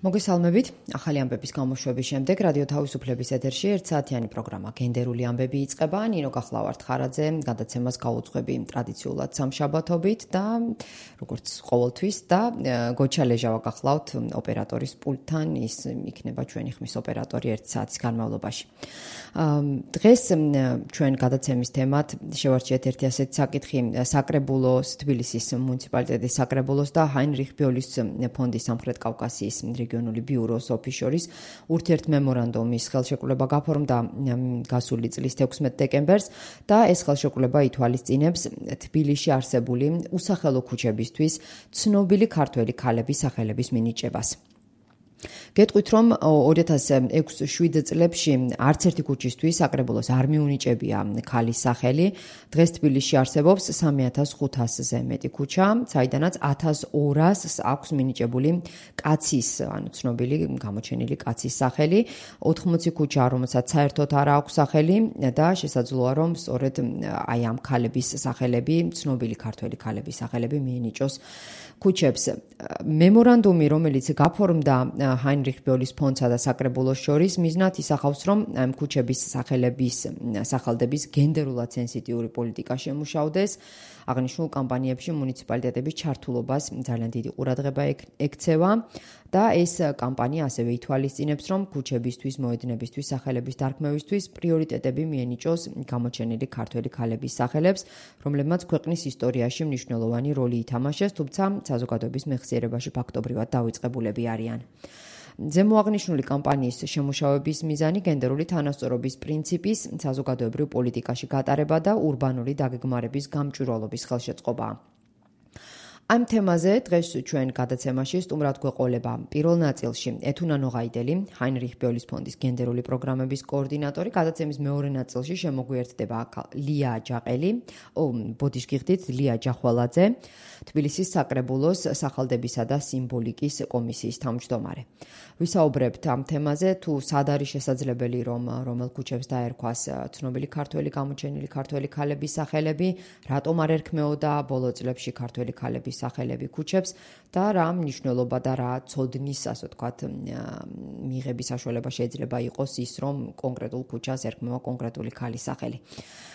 მოგესალმებით. ახალი ამბების გამოშვების შემდეგ რადიო თავისუფლების ეთერში ერთსაათიანი პროგრამა გენდერული ამბები იწყება. ნინო გახლავართ ხარაძე, გადაცემას გავუძღვები ტრადიციულად სამშაბათობით და როგორც ყოველთვის და გოჩა ლეჟავა გახლავთ ოპერატორის პულტთან, ის იქნება ჩვენი ხმის ოპერატორი ერთ საათის განმავლობაში. დღეს ჩვენ გადაცემის თემად შევარჩიეთ ერთი ასეთი საკითხი საკრებულოს, თბილისის მუნიციპალიტეტის საკრებულოს და ჰაინრიხ ბიოლის ფონდის სამხრეთ კავკასიის რეგიონული ბიუროს ოფისშორის ურთიერთმემორანდუმის ხელშეკრულება გაფორმდა გასული წლის 16 დეკემბერს და ეს ხელშეკრულება ითვალისწინებს თბილისში არსებული უსახელო ქუჩებისთვის ცნობილი ქართველი ქალების სახელების მინიჭებას. გეტყვით, რომ 2006-7 წლებში არც ერთი ქუჩისთვის საკრებულოს არ მიუნიჭებია ქალის სახელი. დღეს თბილისში არსებობს 3500-ზე მეტი ქუჩა, საიდანაც 1200-ს აქვს მინიჭებული კაცის, ანუ ცნობილი გამოჩენილი კაცის სახელი, 80 ქუჩა, რომელსაც საერთოდ არ აქვს სახელი და შესაძლოა, რომ სწორედ აი ამ ქალების სახელები, ცნობილი ქართველი ქალების სახელები მიენიჭოს ქუჩებს. მემორანდუმი, რომელიც გაფორმდა ჰაინრიხ ბიოლის ფონდსა და საკრებულოს შორის, მიზნად ისახავს, რომ ამ ქუჩების სახელდების გენდერულად სენსიტიური პოლიტიკა შემუშავდეს. აღნიშნულ კამპანიებში მუნიციპალიტეტების ჩართულობას ძალიან დიდი ყურადღება ექცევა და ეს კამპანია ასევე ითვალისწინებს, რომ ქუჩებისთვის, მოედნებისთვის, სახელების დარქმევისთვის პრიორიტეტები მიენიჭოს გამოჩენილი ქართველი ქალების სახელებს, რომლებმაც ქვეყნის ისტორიაში მნიშვნელოვანი როლი ითამაშეს, თუმცა საზოგადოების მეხსიერებაში ფაქტობრივად დავიწყებულები არიან. ზემოაღნიშნული კამპანიის შემუშავების მიზანი გენდერული თანასწორობის პრინციპის საზოგადოებრივ პოლიტიკაში გატარება და ურბანული დაგეგმარების გამჭვირვალობის ხელშეწყობაა. ამ თემაზე დღეს ჩვენ გადაცემაში სტუმრად გვეყოლება პირველ ნაწილში ეთუნა ნოღაიდელი, ჰაინრიხ ბიოლის ფონდის გენდერული პროგრამების კოორდინატორი, გადაცემის მეორე ნაწილში შემოგვიერთდება ლია ჯაყელი, ბოდიშგიხდით ლია ჯახვალაძე, თბილისის საკრებულოს სახელდებისა და სიმბოლიკის კომისიის თავმჯდომარე. ვისაუბრებთ ამ თემაზე, თუ სად არის შესაძლებელი, რომ რომელ ქუჩებს დაერქვას ცნობილი ქართველი გამოჩენილი ქართველი ქალების სახელები, რატომ არ ერქმეოდა ბოლო წლებში ქართველი ქალების სახელები ქუჩებს და რა მნიშვნელობა და რა ცოდნის, ასე ვთქვათ, მიღების საშუალება შეიძლება იყოს ის, რომ კონკრეტულ ქუჩას ერქმევა კონკრეტული ქალის სახელი.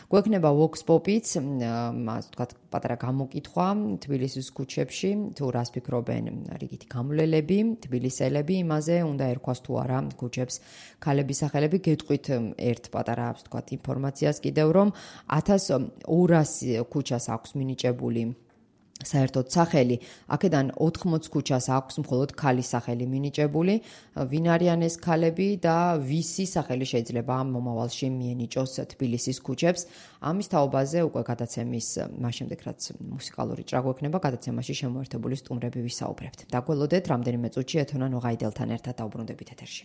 გვექნება Vox Pop-იც, ასე ვთქვათ, პატარა გამოკითხვა თბილისის ქუჩებში, თუ რას ფიქრობენ რიგითი გამვლელები, თბილისელები იმაზე, უნდა ერქვას თუ არა ქუჩებს ქალების სახელები. გეტყვით ერთ პატარა, ასე ვთქვათ, ინფორმაციას კიდევ, რომ 1200 ქუჩას აქვს მინიჭებული საერთოდ სახელი, აქედან 80 ქუჩას აქვს მხოლოდ ქალის სახელი მინიჭებული. ვინ არიან ეს ქალები და ვისი სახელი შეიძლება მომავალში მიენიჭოს თბილისის ქუჩებს? ამის თაობაზე უკვე გადაცემის მას შემდეგ, რაც მუსიკალური ჭრა გვექნება, გადაცემაში შემოერთებული სტუმრები ვისაუბრებთ. დაგველოდეთ, რამდენიმე წუთში ეთუნა ნოღაიდელთან ერთად დაუბრუნდებით ეთერში.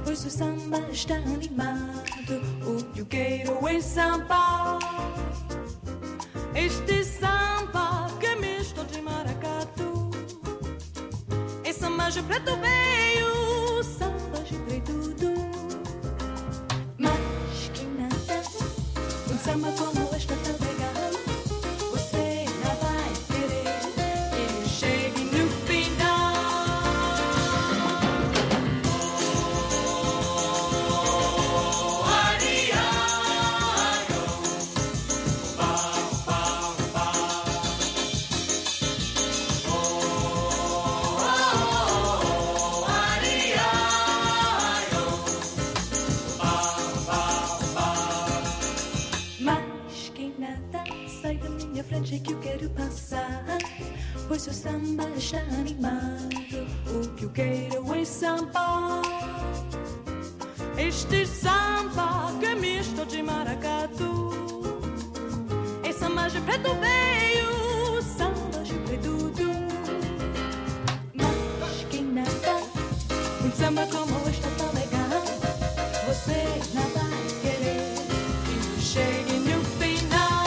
Pois o samba está animado, o que eu quero é samba. Este samba que é misto de maracatu, é samba de preto velho, samba de preto velho. Mas que nada sai da minha frente que eu quero passar. Pois o samba está animado, o que eu quero é samba. Este samba que é misto de maracatu, é samba de preto velho, samba de preto velho. Como esta tão legal, você não vai querer que chegue no final. Que eu quero passar, pois o samba está animado, o que eu quero é samba. Este samba que é misto de maracatu, é samba je preto veio, samba je preto tu. Mas que nada, samba como esta tão legal. Você não vai querer que chegue no final.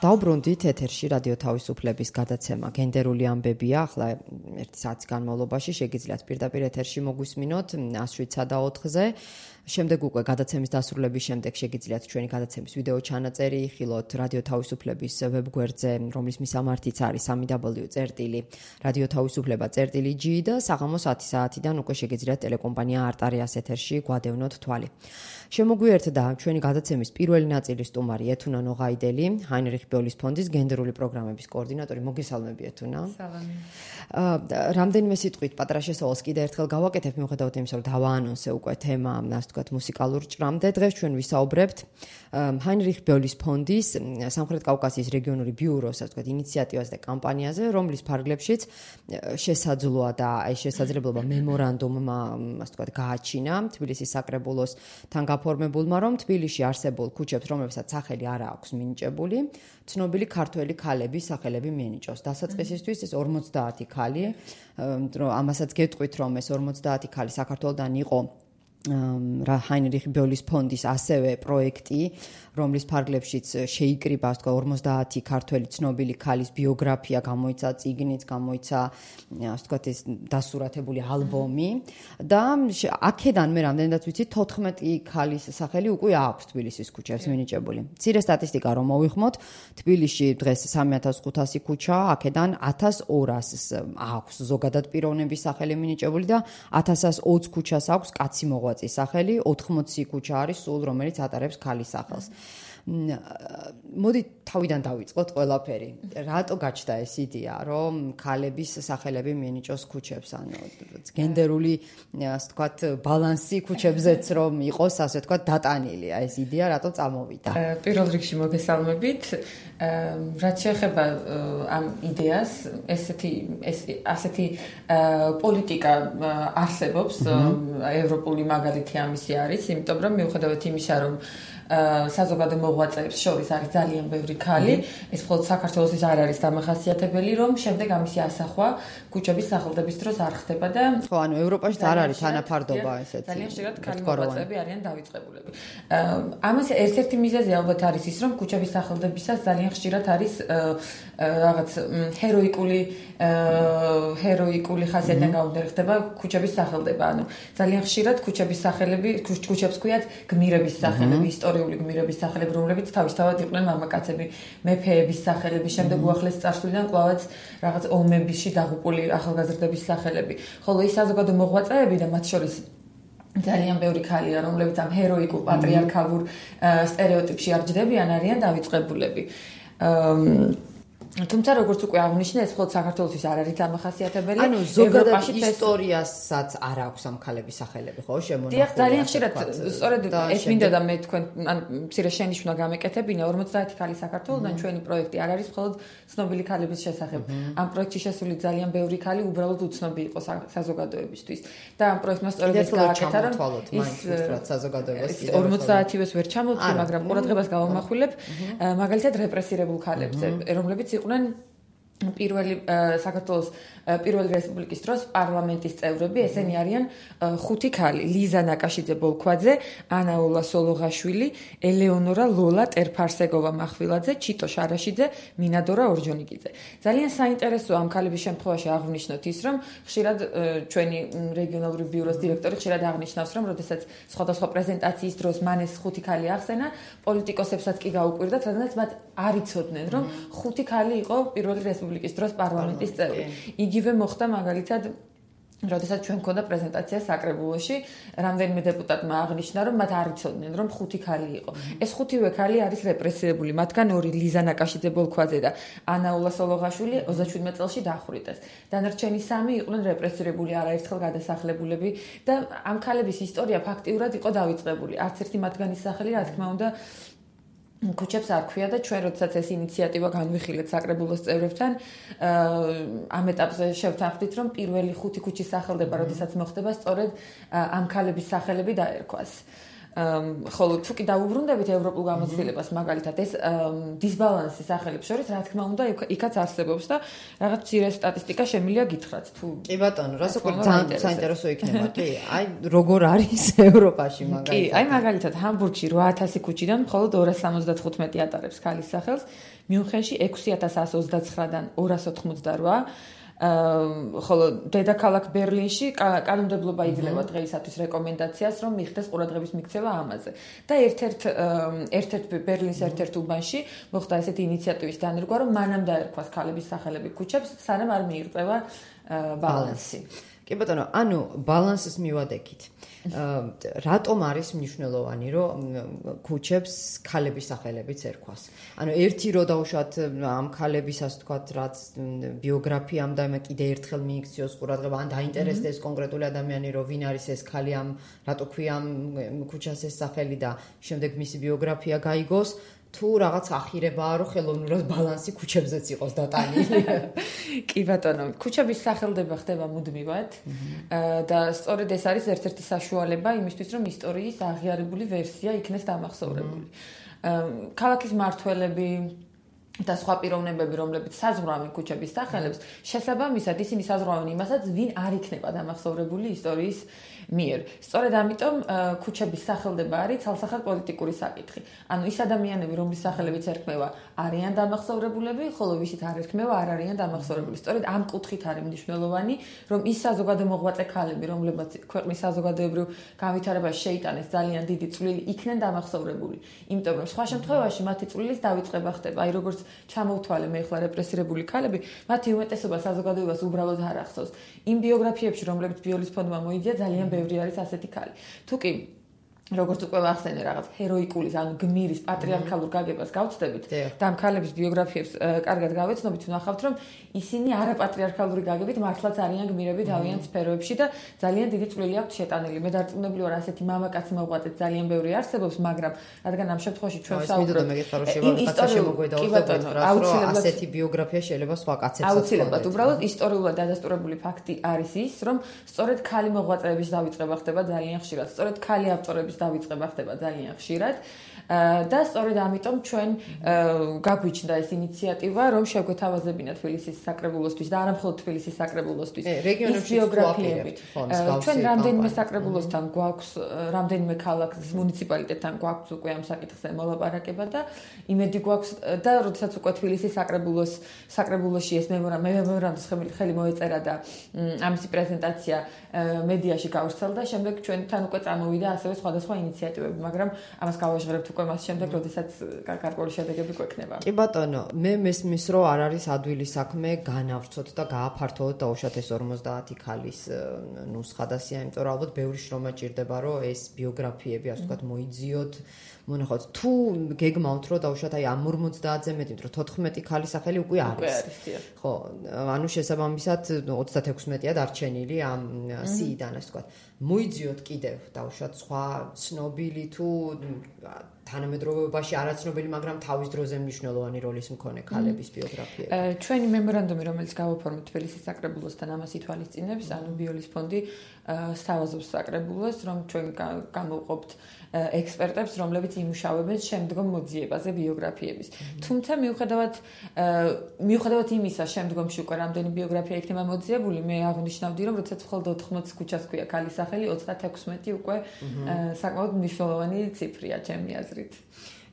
დავბრუნდით ეთერში რადიო თავისუფლების გადაცემა გენდერული ამბებია. ახლა ერთი საათის განმავლობაში შეგიძლიათ პირდაპირ ეთერში მოგვისმინოთ 107 და 4-ზე. შემდეგ უკვე გადაცემის დასრულების შემდეგ შეგიძლიათ ჩვენი გადაცემის ვიდეო ჩანაწერი იხილოთ რადიო თავისუფლების ვებგვერდზე, რომლის მისამართიც არის www.radiotavisufleba.g და საღამოს 10 საათიდან უკვე შეგიძლიათ ტელეკომპანია არტარიას ეთერში გვადევნოთ თვალი. შემოგვიერთდა ჩვენი გადაცემის პირველი ნაწილის სტუმარი ეთუნა ნოღაიდელი, ჰაინრიხ ბიოლის ფონდის გენდერული პროგრამების კოორდინატორი. მოგესალმები ეთუნა. სალამი. რამდენიმე სიტყვით პატრა შესავალს კიდე ერთხელ გავაკეთებ, მიუხედავად იმისა, რომ დავაანონსე უკვე თემა, ასე ვთქვათ, მუსიკალურ ჭრამდე. დღეს ჩვენ ვისაუბრებთ ჰაინრიხ ბიოლის ფონდის სამხრეთ კავკასიის რეგიონული ბიუროს, ასე ვთქვათ, ინიციატივას და კამპანიაზე, რომლის ფარგლებშიც შესაძლოა და აი შესაძლებლობა მემორანდუმმა, ასე ვთქვათ, გააჩინა თბილისის საკრებულოსთან გაფორმებულმა, რომ თბილისში არსებულ ქუჩებს, რომლებსაც სახელი არ აქვს მინიჭებული, ცნობილი ქართველი ქალების სახელები მიენიჭოს. დასაწყისისთვის ეს 50 ქალი, ამასაც გეტყვით, რომ ეს 50 ქალი საქართველოდან იყო ჰაინრიხ ბიოლის ფონდის ასევე პროექტი, რომლის ფარგლებშიც შეიკრიბა, ასე ვთქვათ, 50 ქართველი ცნობილი ქალის ბიოგრაფია, გამოიცა წიგნიც, გამოიცა, ასე ვთქვათ, ეს დასურათებული ალბომი და აქედან მე რამდენადაც ვიცი 14 ქალის სახელი უკვე აქვს თბილისის ქუჩებს მინიჭებული. მცირე სტატისტიკა რომ მოვიხმოთ, თბილისში დღეს 3500 ქუჩა, აქედან 1200-ს აქვს ზოგადად პიროვნების სახელი მინიჭებული და 1120 ქუჩას აქვს კაცი მოღვაწის სახელი, 80 ქუჩა არის სულ, რომელიც ატარებს ქალის სახელს. მოდი თავიდან დავიწყოთ ყველაფერი. რატო გაჩნდა ეს იდეა, რომ ქალების სახელები მიენიჭოს ქუჩებს, ანუ გენდერული, ასე ვთქვათ, ბალანსი ქუჩებზეც რომ იყოს, ასე ვთქვათ, დატანილი. აი ეს იდეა რატო წამოვიდა? პირველ რიგში მოგესალმებით. რაც შეეხება ამ იდეას, ასეთი პოლიტიკა არსებობს, ევროპული მაგალითი ამისი არის, იმიტომ რომ მიუხედავად იმისა, რომ საზოგადო მოღვაწეებს შორის არის ძალიან ბევრი ქალი, ეს მხოლოდ საქართველოსთვის არ არის დამახასიათებელი, რომ შემდეგ ამისი ასახვა ქუჩების სახელდების დროს არ ხდება და ხო, ანუ ევროპაში არ არის თანაფარდობა ესეთი. ძალიან ხშირად ქალი მოღვაწეები არიან დავიწყებულები. ამას ერთ-ერთი მიზეზი ალბათ არის ის, რომ ქუჩების სახელდებისას ძალიან ხშირად არის რაღაც ჰეროიკული ხასიათიდან გამომდინარე ხდება ქუჩების სახელდება. ანუ ძალიან ხშირად ქუჩების სახელები, ქუჩებს ქვიათ გმირების სახელები, ისტორიული გმირების სახელები, რომლებიც თავისთავად იყვნენ მამაკაცები, მეფეების სახელები, შემდეგ უახლეს წარსულიდან კვლავაც რაღაც ომებისში დაღუპული ახალგაზრდების სახელები. ხოლო ის საზოგადო მოღვაწეები და მათ შორის ძალიან ბევრი ქალია, რომლებიც ამ ჰეროიკულ პატრიარქალურ სტერეოტიპში არ ჯდებიან, არიან დავიწყებულები. თუმცა როგორც უკვე აღნიშნე, ეს მხოლოდ საქართველოსთვის არ არის დამახასიათებელი. ანუ ზოგადად ისტორიასაც არ აქვს ამ ქალების სახელები, ხო, შემონახული. დიახ, ძალიან ხშირად სწორედ ეს მინდა და მე თქვენ ან მცირე შენიშვნა გამეკეთებინა 50 ქალი საქართველოსთან ჩვენი პროექტი არ არის მხოლოდ ცნობილი ქალების შესახებ. ამ პროექტში შესული ძალიან ბევრი ქალი უბრალოდ უცნობი იყო საზოგადოებისთვის. და ამ პროექტმა სწორედ ეს გააკეთა, რომ ის საზოგადოებას 50-ს ვერ ჩამოვთვლი, მაგრამ ყურადღებას გავამახვილებ მაგალითად რეპრესირებულ ქალებზე, რომლებიც იყვნენ საქართველოს პირველი რესპუბლიკის დროს პარლამენტის წევრები, ესენი არიან 5 ქალი: ლიზა ნაკაშიძე ბოლქვაძე, ანაულა სოლოღაშვილი, ელეონორა ლოლა ტერფარსეგოვა მახვილაძე, ჩიტო შარაშიძე, მინადორა ორჯონიკიძე. ძალიან საინტერესოა ამ ქალების შემთხვევაში აღვნიშნოთ ის, რომ ხშირად ჩვენი რეგიონალური ბიუროს დირექტორი ხშირად აღნიშნავს, რომ როდესაც სხვადასხვა პრეზენტაციის დროს მან ეს 5 ქალი ახსენა, პოლიტიკოსებსაც კი გაუკვირდათ, რადგანაც მათ არ იცოდნენ, რომ 5 ქალი იყო პირველი რესპუბლიკის დროს პარლამენტის წევრი. იგივე მოხდა მაგალითად როდესაც ჩვენ მქონდა პრეზენტაცია საკრებულოში, რამდენიმე დეპუტატმა აღნიშნა, რომ მათ არ იცოდნენ, რომ 5 ქალი იყო. ეს 5-ვე ქალი არის რეპრესირებული, მათგან 2 ლიზა ნაკაშიძე ბოლქვაძე და ანა ულასოლოღაშვილი 27 წელში დახვრიტეს. დანარჩენი 3 იყვნენ რეპრესირებული არაერთხელ გადასახლებულები და ამ ქალების ისტორია ფაქტიურად იყო დავიწყებული. არც ერთი მათგანის სახელი, რა თქმა უნდა, ქუჩებს არ ქვია და ჩვენ როდესაც ეს ინიციატივა განვიხილეთ საკრებულოს წევრებთან, ამ ეტაპზე შევთანხმდით, რომ პირველი 5 ქუჩის სახელდება, როდესაც მოხდება, სწორედ ამ ქალების სახელები დაერქვას. ხოლო თუ კი დაუბრუნდებით ევროპულ გამოცდილებას, მაგალითად ეს დისბალანსი სახელებს შორის, რა თქმა უნდა, იქაც არსებობს და რაღაც მცირე სტატისტიკა შემიძლია გითხრათ თუ კი ბატონო, რასაკვირ ძალიან საინტერესო იქნება, კი. აი როგორ არის ევროპაში მაგალითად? კი, აი მაგალითად ჰამბურგში 8000 ქუჩიდან მხოლოდ 275 ატარებს ქალის სახელს, მიუნხენში 6129-დან 288 ხოლო დედაქალაქ ბერლინში კანონმდებლობა იძლევა დღეისათვის რეკომენდაციას, რომ მიხდეს ყურადღების მიქცევა ამაზე. და ერთ-ერთ ბერლინის ერთ-ერთ უბანში მოხდა ესეთი ინიციატივის დანერგვა, რომ მანამ დაერქვას ქალების სახელები ქუჩებს, სანამ არ მიიღწევა ბალანსი. კი ბატონო, ანუ ბალანსის მივადექით. რატომ არის მნიშვნელოვანი, რომ ქუჩებს ქალების სახელებიც ერქვას? ანუ ერთი რო დავუშვათ ამ ქალებისას თქვათ, რაც ბიოგრაფიამ და კიდე ერთხელ მიიქციოს ყურადღება, ან დაინტერესდეს კონკრეტული ადამიანი, რომ ვინ არის ეს ქალი, რატო ქვია ამ ქუჩას ეს სახელი და შემდეგ მისი ბიოგრაფია გაიგოს. თუ რაღაც ახირებაა, რომ ხელოვნურად ბალანსი ქუჩებზეც იყოს დატანილი. კი ბატონო, ქუჩების სახელდება ხდება მუდმივად და სწორედ ეს არის ერთ-ერთი საშუალება იმისთვის, რომ ისტორიის აღიარებული ვერსია იქნეს დამახსოვრებული. ქალაქის მმართველები და სხვა პიროვნებები, რომლებიც საზღვრავენ ქუჩების სახელებს, შესაბამისად ისინი საზღვრავენ იმასაც, ვინ არ იქნება დამახსოვრებული ისტორიის მიერ. სწორედ ამიტომ ქუჩების სახელდება არის ცალსახად პოლიტიკური საკითხი. ანუ ის ადამიანები, რომლის სახელებიც ერქმევა, არიან დამახსოვრებულები, ხოლო ვისით არ ერქმევა, არ არიან დამახსოვრებული. სწორედ ამ კუთხით არის მნიშვნელოვანი, რომ ის საზოგადო მოღვაწე ქალები, რომლებიც ქვეყნის საზოგადოებრივ განვითარებაში შეიტანეს ძალიან დიდი წვლილი, იქნენ დამახსოვრებული. იმიტომ რომ სხვა შემთხვევაში მათი წვლილის დავიწყება ხდება. აი როგორც ჩამოვთვალე მე ახლა რეპრესირებული ქალები, მათი უმეტესობა საზოგადოებას უბრალოდ არ ახსოვს. იმ ბიოგრაფიებში, რომლებიც ბიოლის ფონდმა მოიძია, ძალიან ბევრი არის ასეთი ქალი. თუკი როგორც უკვე ვახსენე რაღაც ჰეროიკულის, ანუ გმირის პატრიარქალურ გაგებას გავცდებით და ამ ქალების ბიოგრაფიებს კარგად გავეცნობით, ვნახავთ, რომ ისინი არაპატრიარქალური გაგებით მართლაც არიან გმირები თავიანთ სფეროებში და ძალიან დიდი წვლილი აქვთ შეტანილი. მე დარწმუნებული ვარ, ასეთი მამაკაცი მოღვაწეც ძალიან ბევრი არსებობს, მაგრამ რადგან ამ შემთხვევაში ჩვენ საუბრობთ ასეთი ბიოგრაფია შეიძლება სხვა კაცებსაც აუცილებლად უბრალოდ ისტორიულად დადასტურებული ფაქტი არის ის, რომ სწორედ ქალი მოღვაწეების დავიწყება ხდება ძალიან ხშირად, სწორედ ქალი ავტორების დავიწყება ხდება ძალიან ხშირად და სწორედ ამიტომ ჩვენ გაგვიჩნდა ეს ინიციატივა, რომ შევგვეთავაზებინა თბილისის საკრებულოსთვის და არა მხოლოდ თბილისის საკრებულოსთვის ის ბიოგრაფიები. ჩვენ რამდენიმე საკრებულოსთან გვაქვს, რამდენიმე ქალაქის მუნიციპალიტეტთან გვაქვს უკვე ამ საკითხზე მოლაპარაკება და იმედი გვაქვს და როდესაც უკვე თბილისის საკრებულოში ეს მემორანდუმის ხელი მოეწერა და ამისი პრეზენტაცია მედიაში გავრცელდა, შემდეგ ჩვენთან უკვე წამოვიდა ასევე სხვადასხვა ინიციატივები, მაგრამ ამას გავაჟღერებთ უკვე მას შემდეგ, როდესაც გარკვეული შედეგები გვექნება. კი ბატონო, მე მესმის, რომ არ არის ადვილი საქმე განავრცოთ და გააფართოვოთ დაუშვათ ეს 50 ქალის ნუსხა და სია, იმიტომ რომ ალბათ ბევრი შრომა ჭირდება, რომ ეს ბიოგრაფიები, ასე ვთქვათ, მოიძიოთ. მონახავთ, თუ გეგმავთ, რომ დაუშვათ აი ამ 50-ზე მეტი, რომ 14 ქალის სახელი უკვე არის. ხო, ანუ შესაბამისად 36-ია დარჩენილი ამ სიიდან, ასე ვთქვათ. მოიძიოთ კიდევ დაუშვათ სხვა ცნობილი თუ თანამედროვეობაში არაცნობილი, მაგრამ თავის დროზე მნიშვნელოვანი როლის მქონე ქალების ბიოგრაფიები. ჩვენი მემორანდუმი, რომელიც გავაფორმეთ თბილისის საკრებულოსთან, ამას ითვალისწინებს, ანუ ბიოლის ფონდი სთავაზობს საკრებულოს, რომ ჩვენ გამოვყოფთ ექსპერტებს, რომლებიც იმუშავებენ შემდგომ მოძიებაზე ბიოგრაფიების. თუმცა მიუხედავად იმისა, შემდგომში უკვე რამდენი ბიოგრაფია იქნება მოძიებული, მე აღნიშნავდი, რომ როდესაც მხოლოდ 80 ქუჩას ქვია ქალის სახელი, 36 უკვე საკმაოდ მნიშვნელოვანი ციფრია ჩემი აზრით.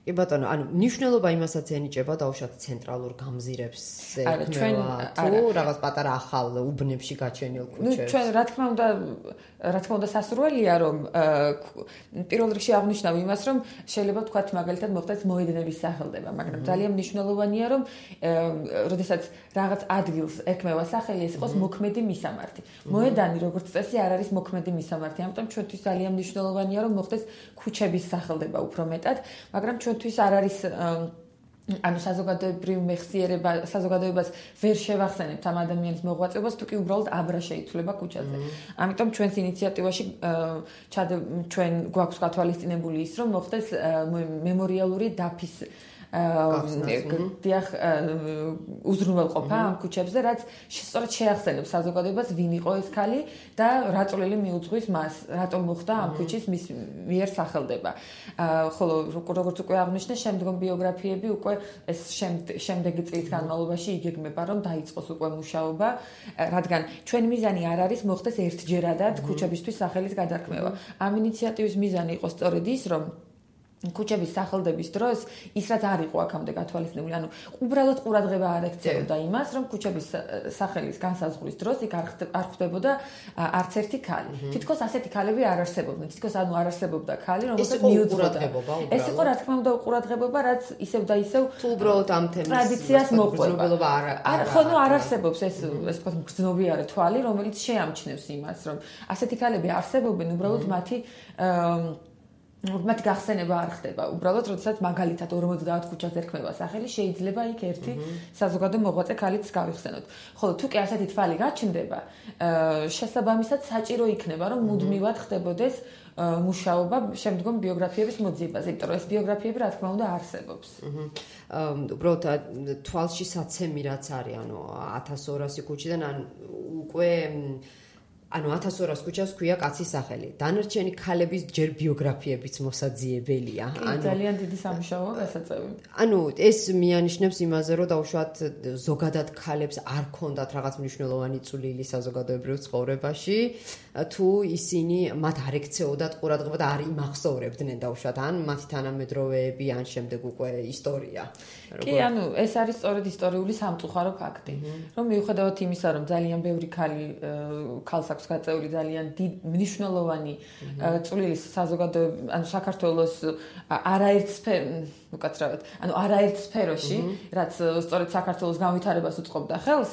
კი ბატონო, ანუ მნიშვნელობა იმასაც ენიჭება დაუშვათ ცენტრალურ გამზირებს ექნება თუ რაღაც პატარა ახალ უბნებში გაჩენილ ქუჩებს. ჩვენ რა თქმა უნდა სასურველია რომ პირველ რიგში აღნიშნავ იმას რომ შეიძლება ვთქვათ მაგალითად მოხდეს მოედნების სახელდება, მაგრამ ძალიან მნიშვნელოვანია რომ როდესაც რაღაც ადგილს ექმევა სახელი ეს იყოს მოქმედი მისამართი. მოედანი როგორც წესი არ არის მოქმედი მისამართი, ამიტომ ჩვენთვის ძალიან მნიშვნელოვანია რომ მოხდეს ქუჩების სახელდება უფრო მეტად, მაგრამ ჩვენთვის არ არის ანუ საზოგადოებრივ მეხსიერება, საზოგადოებას ვერ შევახსენებთ ამ ადამიანის მოღვაწეობას, თუ კი უბრალოდ აბრა შეიცვლება ქუჩაზე. ამიტომ ჩვენს ინიციატივაში ჩვენ გვაქვს გათვალისწინებული ის, რომ მოხდეს მემორიალური დაფის დიახ უზრუნველყოფა ამ ქუჩებზე, რაც სწორედ შეახსენებს საზოგადოებას ვინ იყო ეს ქალი და რა წვლილი მიუძღვის მას, რატომ მოხდა ამ ქუჩის მის მიერ სახელდება. ხოლო როგორც უკვე აღნიშნე, შემდგომ ბიოგრაფიები უკვე ეს შემდეგი წლის განმავლობაში იგეგმება, რომ დაიწყოს უკვე მუშაობა, რადგან ჩვენი მიზანი არ არის მოხდეს ერთჯერადად ქუჩებისთვის სახელის გადარქმევა. ამ ინიციატივის მიზანი იყო სწორედ ის, რომ ქუჩების სახელდების დროს ის რაც არ იყო აქამდე გათვალისწინებული, ანუ უბრალოდ ყურადღება არ ექცეოდა იმას, რომ ქუჩების სახელის განსაზღვრის დროს იქ არ ხვდებოდა არც ერთი ქალი. თითქოს ასეთი ქალები არ არსებობდნენ. თითქოს ანუ არ არსებობდა ქალი, რომელსაც მიუძღოდა. ეს იყო რა თქმა უნდა უყურადღებობა, რაც ისევ და ისევ თუ უბრალოდ ამ თემის ტრადიციას მოყვება. არ ხო, ნუ არ არსებობს ეს ვთქვათ მგრძნობიარე თვალი, რომელიც შეამჩნევს იმას, რომ ასეთი ქალები არსებობენ, უბრალოდ მათი გახსენება არ ხდება. უბრალოდ, როდესაც მაგალითად 50 ქუჩას ერქმევა სახელი, შეიძლება იქ ერთი საზოგადო მოღვაწე ქალიც გავიხსენოთ. ხოლო თუ კი ასეთი თვალი გაჩნდება, შესაბამისად საჭირო იქნება, რომ მუდმივად ხდებოდეს მუშაობა შემდგომ ბიოგრაფიების მოძიებაზე, იმიტომ რომ ეს ბიოგრაფიები რა თქმა უნდა არსებობს. უბრალოდ თვალში საცემი რაც არის, ანუ 1200 ქუჩიდან ან უკვე ანუ 1200 ქუჩას ქვია კაცის სახელი. დანარჩენი ქალების ჯერ ბიოგრაფიებიც მოსაძიებელია. ანუ ძალიან დიდი სამუშაოა გასაწევი. ანუ ეს მიანიშნებს იმაზე, რომ დაუშვათ ზოგადად ქალებს არ ქონდათ რაღაც მნიშვნელოვანი წვლილი საზოგადოებრივ ცხოვრებაში, თუ ისინი მათ არ ექცეოდათ ყურადღება და არ იმახსოვრებდნენ დაუშვათ ან მათი თანამედროვეები ან შემდეგ უკვე ისტორია. კი, ანუ ეს არის სწორედ ისტორიული სამწუხარო ფაქტი, რომ მიუხედავად იმისა, რომ ძალიან ბევრი ქალს აქვს გაწეული ძალიან მნიშვნელოვანი წვლილი საზოგადოებრივ, ანუ საქართველოს არაერთ სფეროში, რაც სწორედ საქართველოს განვითარებას უწყობდა ხელს,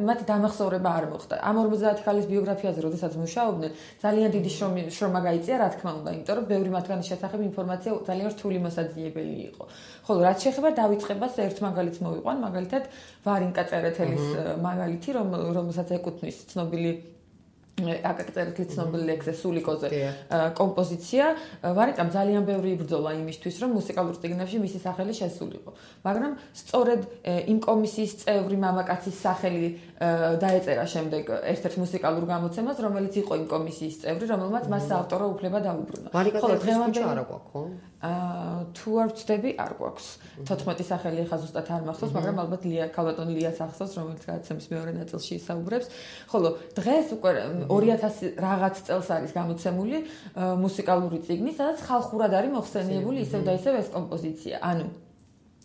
მათი დამახსოვრება არ მოხდა. ამ 50 ქალის ბიოგრაფიაზე, როდესაც მუშაობდნენ, ძალიან დიდი შრომა გაიწია, რა თქმა უნდა, იმიტომ რომ ბევრი მათგანის შესახებ ინფორმაცია ძალიან რთული მოსაძიებელი იყო. ხოლო რაც შეეხება დავიწყებას, ერთ მაგალითს მოვიყვან, მაგალითად ვარინკა წერეთელის მაგალითი, რომელსაც ეკუთვნის ცნობილი აკაკწერეთლის ცნობილი ლექსზე სულიკოზე კომპოზიცია. ვარინკამ ძალიან ბევრი იბრძოლა იმისთვის, რომ მუსიკალურ წიგნებში მისი სახელი შესულიყო. მაგრამ სწორედ იმ კომისიის წევრი მამაკაცის სახელი დაეწერა შემდეგ ერთ-ერთ მუსიკალურ გამოცემას, რომელიც იყო იმ კომისიის წევრი, რომელმაც მას საავტორო უფლება დაუბრუნა. ხოლო დღევანდელი არა გვაქვს, ხო? თუ არ ვწდები, არ გვაქვს. 14 სახელი ახლა ზუსტად არ მახსოვს, მაგრამ ალბათ ქალბატონი ლიას ახსოვს, რომელიც გადაცემის მეორე ნაწილში ისაუბრებს. ხოლო დღეს უკვე 2000 რაღაც წელს არის გამოცემული მუსიკალური წიგნი, სადაც ხალხურად არის მოხსენიებული ისევ და ისევ ეს კომპოზიცია. ანუ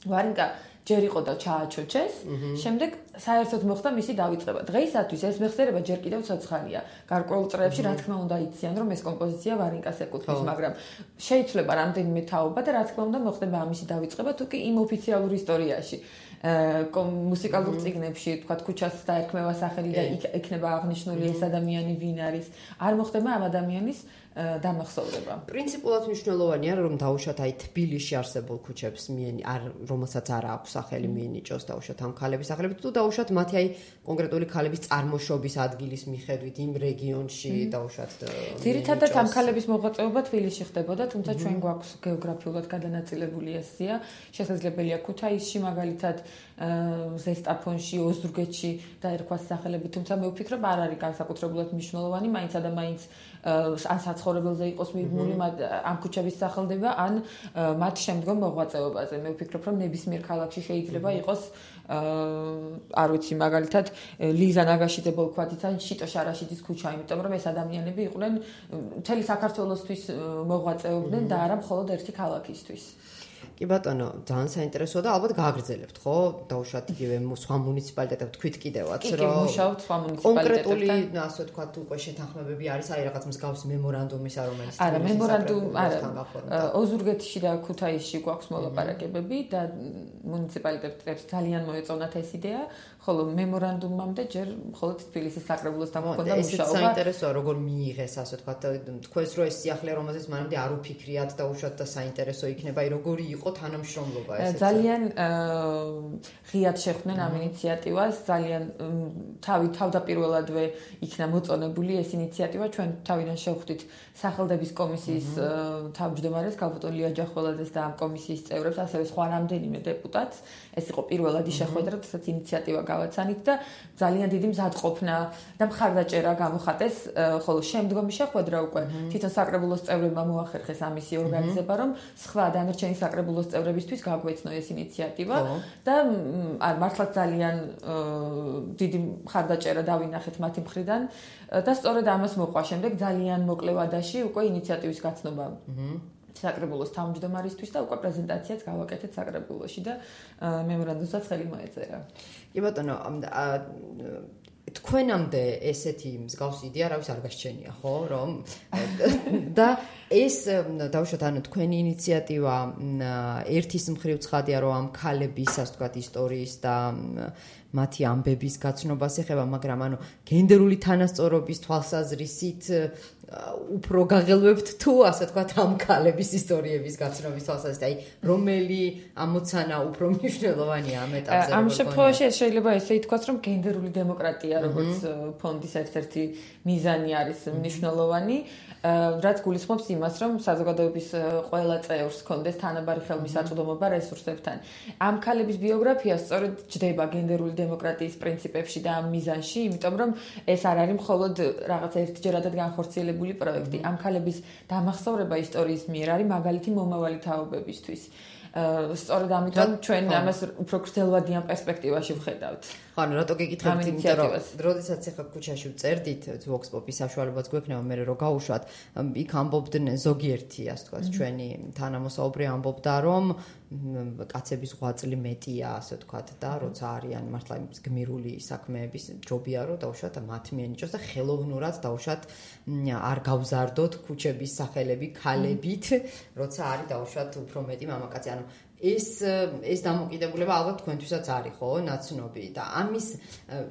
ვარინკა ჯერ იყო და ჩააჩოჩეს, შემდეგ საერთოდ მოხდა მისი დავიწყება. დღეისათვის ეს მეხსიერება ჯერ კიდევ ცოცხალია. გარკვეულ წრეებში რა თქმა უნდა იციან, რომ ეს კომპოზიცია ვარინკას ეკუთვნის, მაგრამ შეიძლება რამდენიმე თაობა და რა თქმა უნდა მოხდება ამისი დავიწყება, თუ კი იმ ოფიციალურ ისტორიაში. მუსიკალურ წიგნებში, თქვათ, ქუჩას დაერქმევა სახელი და იქნება აღნიშნული ეს ადამიანი ვინ არის, არ მოხდება ამ ადამიანის დამახსოვრება. პრინციპულად მნიშვნელოვანია, რომ დაუშვათ აი თბილისში არსებულ ქუჩებს რომელსაც არ აქვს სახელი მიენიჭოს დაუშვათ ამ ქალების სახელებით, თუ დაუშვათ მათი აი კონკრეტული ქალების წარმოშობის ადგილის მიხედვით იმ რეგიონში დაუშვათ. ძირითადად ამ ქალების მოღვაწეობა თბილისში ხდებოდა, თუმცა ჩვენ გვაქვს გეოგრაფიულად გადანაწილებული ეს სია. შესაძლებელია ქუთაისში მაგალითად ზესტაფონში, ოზურგეთში დაერქვას სახელები, თუმცა მე ვფიქრობ არ არის განსაკუთრებულად მნიშვნელოვანი, მაინც და მაინც ან საცხოვრებელზე იყოს მიბმული ამ ქუჩების სახელდება, ან მათ შემდგომ მოღვაწეობაზე. მე ვფიქრობ, რომ ნებისმიერ ქალაქში შეიძლება იყოს არ ვიცი მაგალითად ლიზა ნაგაშიძე ბოლქვათიც ან შიტო შარაშიძის ქუჩა, იმიტომ რომ ეს ადამიანები იყვნენ მთელი საქართველოსთვის მოღვაწეობდნენ და არა მხოლოდ ერთი ქალაქისთვის. კი ბატონო, ძალიან საინტერესოა და ალბათ გააგრძელებთ, ხო? დაუშვათ იგივე სხვა მუნიციპალიტეტებს თქვით კიდევაც, რომ კი, მუშაობთ სხვა მუნიციპალიტეტებთან. კონკრეტული, ასე ვთქვათ, უკვე შეთანხმებები არის, აი რაღაც მსგავსი მემორანდუმისა, რომელიც არა, მემორანდუმ არა. ოზურგეთში და ქუთაისში გვაქვს მოლაპარაკებები და მუნიციპალიტეტებს ძალიან მოეწონათ ეს იდეა, ხოლო მემორანდუმამდე ჯერ მხოლოდ თბილისის საკრებულოსთან მქონდა მუშაობა. ეს საინტერესოა, როგორ მიიღეს, ასე ვთქვათ, თქვენს რო ეს სიახლე, რომელზეც მანამდე არ უფიქრიათ და უშუალოდ და საინტერესო იქნება, აი როგორი იყო თანამშრომლობა ეს. ძალიან ღიად შეხვდნენ ამ ინიციატივას, ძალიან თავდაპირველადვე იქნა მოწონებული ეს ინიციატივა, ჩვენ თავიდან შევხვდით სახელდების კომისიის თავმჯდომარეს გალბატონ ლია ჯახველაძეს და ამ კომისიის წევრებს, ასევე სხვა რამდენიმე დეპუტატს. ეს იყო პირველადი შეხვედრა, სადაც ინიციატივა გავაცანით და ძალიან დიდი მზადყოფნა და მხარდაჭერა გამოხატეს, ხოლო შემდგომი შეხვედრა უკვე თვითონ საკრებულოს წევრებმა მოახერხეს ამისი ორგანიზება, რომ სხვა დანარჩენი საკრებულოს წევრებისთვის გაგვეცნო ეს ინიციატივა და მართლაც ძალიან დიდი მხარდაჭერა დავინახეთ მათი მხრიდან და სწორედ ამას მოყვა შემდეგ ძალიან მოკლე ვადაში უკვე ინიციატივის გაცნობა საკრებულოს თავმჯდომარისთვის და უკვე პრეზენტაციაც გავაკეთეთ საკრებულოში და მემორანდუმსაც ხელი მოეწერა. კი ბატონო, თქვენამდე ესეთი მსგავსი იდეა რავის არ გასჩენია, ხო, რომ და ეს დავუშვათ, ანუ თქვენი ინიციატივა ერთის მხრივ ცხადია, რომ ამ ქალების, ასე ვთქვათ, ისტორიის და მათი ამბების გაცნობას ეხება, მაგრამ ანუ გენდერული თანასწორობის თვალსაზრისით უფრო გაღელვებთ თუ, ასე ვთქვათ, ამ ქალების ისტორიების გაცნობის თვალსაზრისით, აი, რომელი ამოცანა უფრო მნიშვნელოვანია ამ ეტაპზე? ამ შემთხვევაში შეიძლება ესე ითქვას, რომ გენდერული დემოკრატია, როგორც ფონდის ერთ-ერთი მიზანი არის მნიშვნელოვანი, რაც გულისხმობს იმას, რომ საზოგადოების ყველა წევრს ჰქონდეს თანაბარი ხელმისაწვდომობა რესურსებთან. ამ ქალების ბიოგრაფია სწორედ ჯდება გენდერული დემოკრატიის პრინციპებში და ამ მიზანში, იმიტომ რომ ეს არ არის მხოლოდ რაღაც ერთჯერადად განხორციელებული პროექტი. ამ ქალების დამახსოვრება ისტორიის მიერ არის მაგალითი მომავალი თაობებისთვის. სწორედ ამიტომ ჩვენ ამას უფრო გრძელვადიან პერსპექტივაში ვხედავთ. ანუ რატო გეკითხებთ, იმიტომ რომ როდესაც ახლა ქუჩაში ვწერდით Vox Pop-ის საშუალებაც გვექნება მე რომ გავუშვათ, იქ ამბობდნენ ზოგიერთი, ასე ვთქვათ, ჩვენი თანამოსაუბრე ამბობდა, რომ კაცების ღვაწლი მეტია, ასე ვთქვათ, და როცა არიან მართლა გმირული საქმეების ჯობია რომ დავუშვათ მათ მიენიჭოს და ხელოვნურად დავუშვათ არ გავზარდოთ ქუჩების სახელები ქალებით, როცა არის დავუშვათ უფრო მეტი მამაკაცი, ანუ ეს დამოკიდებულება ალბათ თქვენთვისაც არის, ხო, ნაცნობი და ამის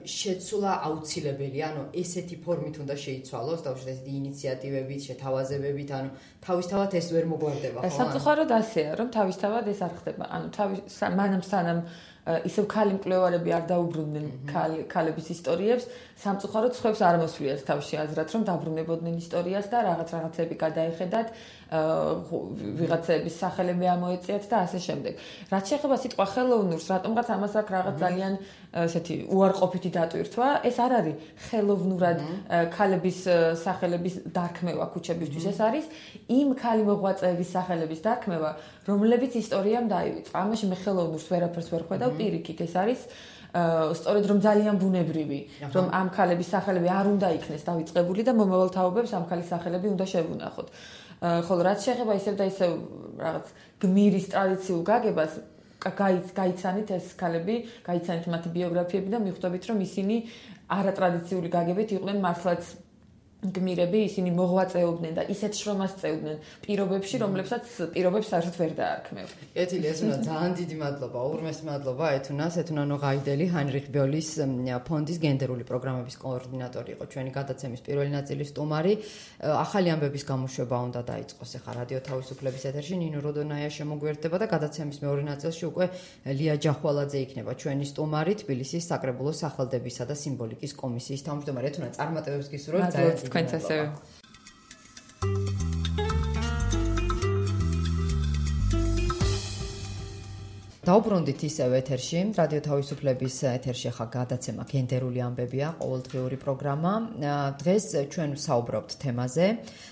შეცვლა აუცილებელია, ანუ ესეთი ფორმით უნდა შეიცვალოს, დავუშვათ ესეთი ინიციატივებით, შეთავაზებებით, ანუ თავისთავად ეს ვერ მოგვარდება, ხო? სამწუხაროდ ასეა, რომ თავისთავად ეს არ ხდება. ანუ მანამ სანამ ისევ ქალი მკვლევარები არ დაუბრუნდნენ ქალების ისტორიებს, სამწუხაროდ სხვებს არ მოსვლიათ თავში აზრად, რომ დაბრუნებოდნენ ისტორიას და რაღაცები გადაეხედათ, ვიღაცების სახელები ამოეწიათ და ასე შემდეგ. რაც შეეხება სიტყვა ხელოვნურს, რატომღაც ამას აქვს რაღაც ძალიან ესეთი უარყოფითი დატვირთვა, ეს არ არის ხელოვნურად ქალების სახელების დარქმევა ქუჩებისთვის, ეს არის იმ ქალი მოღვაწეების სახელების დარქმევა, რომლებიც ისტორიამ დაივიწყა. ამაში მე ხელოვნურს ვერაფერს ვერ ხედავ პირიქით, ეს არის სწორედ რომ ძალიან ბუნებრივი, რომ ამ ქალების სახელები არ უნდა იქნეს დავიწყებული და მომავალ თაობებს ამ ქალის სახელები უნდა შევუნახოთ. ხოლო რაც შეეხება ისევ და ისევ რაღაც გმირის ტრადიციულ გაგებას, გაიცანით ეს ქალები, გაიცანით მათი ბიოგრაფიები და მიხვდებით, რომ ისინი არატრადიციული გაგებით იყვნენ მართლაც გმირები, ისინი მოღვაწეობდნენ და ისეთ შრომას წევდნენ პირობებში, რომლებსაც პირობებს საერთოდ ვერ დაარქმევ. ეთილი, ეს უნდა ძალიან დიდი მადლობა, ურმეს მადლობა ეთუნას, ეთუნა ნოღაიდელი, ჰაინრიხ ბიოლის ფონდის გენდერული პროგრამების კოორდინატორი იყო ჩვენი გადაცემის პირველი ნაწილის სტუმარი. ახალი ამბების გამოშვება უნდა დაიწყოს ახლა რადიო თავისუფლების ეთერში, ნინო როდონაია შემოგვიერთდება და გადაცემის მეორე ნაწილში უკვე ლია ჯახვალაძე იქნება ჩვენი სტუმარი, თბილისის საკრებულოს სახელდებისა და სიმბოლიკის კომისიის თავმჯდომარე. ეთუნა წარმატებებს გისურვებთ ძალიან. თქვენც ასევე. დაუბრუნდით ისევ ეთერში, რადიო თავისუფლების ეთერში ხა გადაცემა გენდერული ამბებია, ყოველდღიური პროგრამა. დღეს ჩვენ ვსაუბრობთ თემაზე.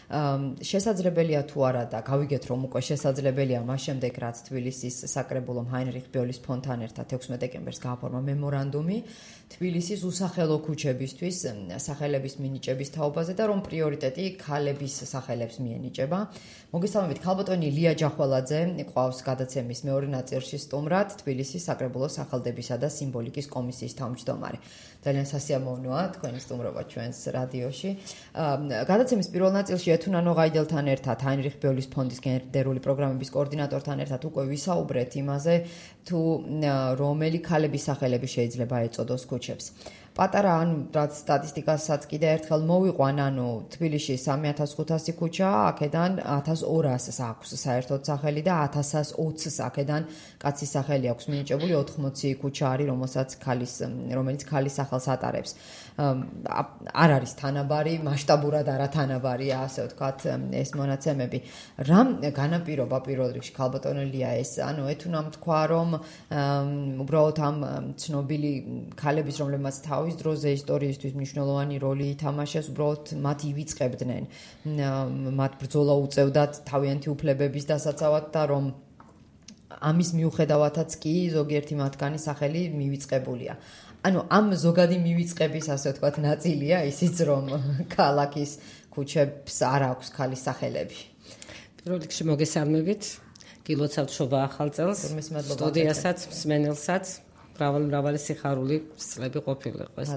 შესაძლებელია თუ არა და გავიგეთ რომ უკვე შესაძლებელია მას შემდეგ რაც თბილისის საკრებულომ ჰაინრიხ ბიოლის ფონთან ერთად 16 დეკემბერს გააფორმა მემორანდუმი თბილისის უსახელო ქუჩებისთვის სახელების მინიჭების თაობაზე და რომ პრიორიტეტი ქალების სახელებს მიენიჭება. მოგესალმებით, ქალბატონი ლია ჯახველაძე ყავს გადაცემის მეორე ნაწილში სტუმრად, თბილისის საკრებულოს სახელდებისა და სიმბოლიკის კომისიის თავმჯდომარე. ძალიან სასიამოვნოა თქვენი სტუმრობა ჩვენს რადიოში. გადაცემის პირველ ნაწილში ეთუნანო ღაიდელთან ერთად ჰაინრიხ ბიოლის ფონდის გენდერული პროგრამების კოორდინატორთან ერთად უკვე ვისაუბრეთ იმაზე, თუ რომელი ქალების სახელები შეიძლება ეწოდოს ქუჩებს. პატარა რაც სტატისტიკასაც კიდე ერთხელ მოვიყვან, თბილისში 3500 ქუჩა, აქედან 1200-ს აქვს საერთოდ სახელი და 1120-ს აქედან კაცის სახელი აქვს მინიჭებული, 80 ქუჩა არის, რომელიც ქალის სახელს ატარებს. არ არის თანაბარი, მასშტაბურად არათანაბარია, ასე ვთქვათ, ეს მონაცემები. რამ განაპირობა პირველ რიგში ქალბატონელია ეს? ეთუნამ თქვა, რომ უბრალოდ ამ ცნობილი ქალების, რომლებმაც თავის დროზე ისტორიისთვის მნიშვნელოვანი როლი ითამაშეს, უბრალოდ მათ ივიწყებდნენ, მათ ბრძოლა უწევდათ თავიანთი უფლებების დასაცავად და რომ ამის მიუხედავადაც კი ზოგიერთი მათგანი სახელი მივიწყებულია. ამ ზოგადი მივიწყების, ასე ვთქვათ, ნაწილია ისიც, რომ ქალაქის ქუჩებს არ აქვს ქალის სახელები. პირველ რიგში მოგესალმებით, გილოცავთ შობა ახალ წელს, სტუდიასაც, მსმენელსაც, მრავალი სიხარული წლები ყოფილიყოს.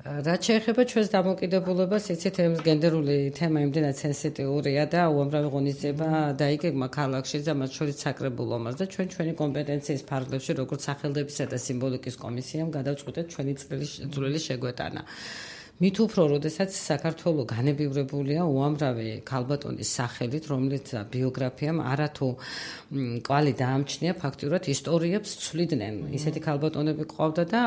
რაც შეეხება ჩვენს დამოკიდებულებას, იცით, გენდერული თემა იმდენად სენსიტიურია და უამრავი ღონისძიება დაიგეგმა ქალაქში და მათ შორის საკრებულომას და ჩვენი კომპეტენციის ფარგლებში, როგორც სახელდებისა და სიმბოლიკის კომისიამ გადავწყვიტეთ ჩვენი წვლილი შეგვეტანა. მით უფრო, როდესაც საქართველო განებივრებულია უამრავი ქალბატონის სახელით, რომლის ბიოგრაფიამ არათუ კვალი დაამჩნია, ფაქტიურად ისტორიებს ცვლიდნენ. ისეთი ქალბატონები ყავდა და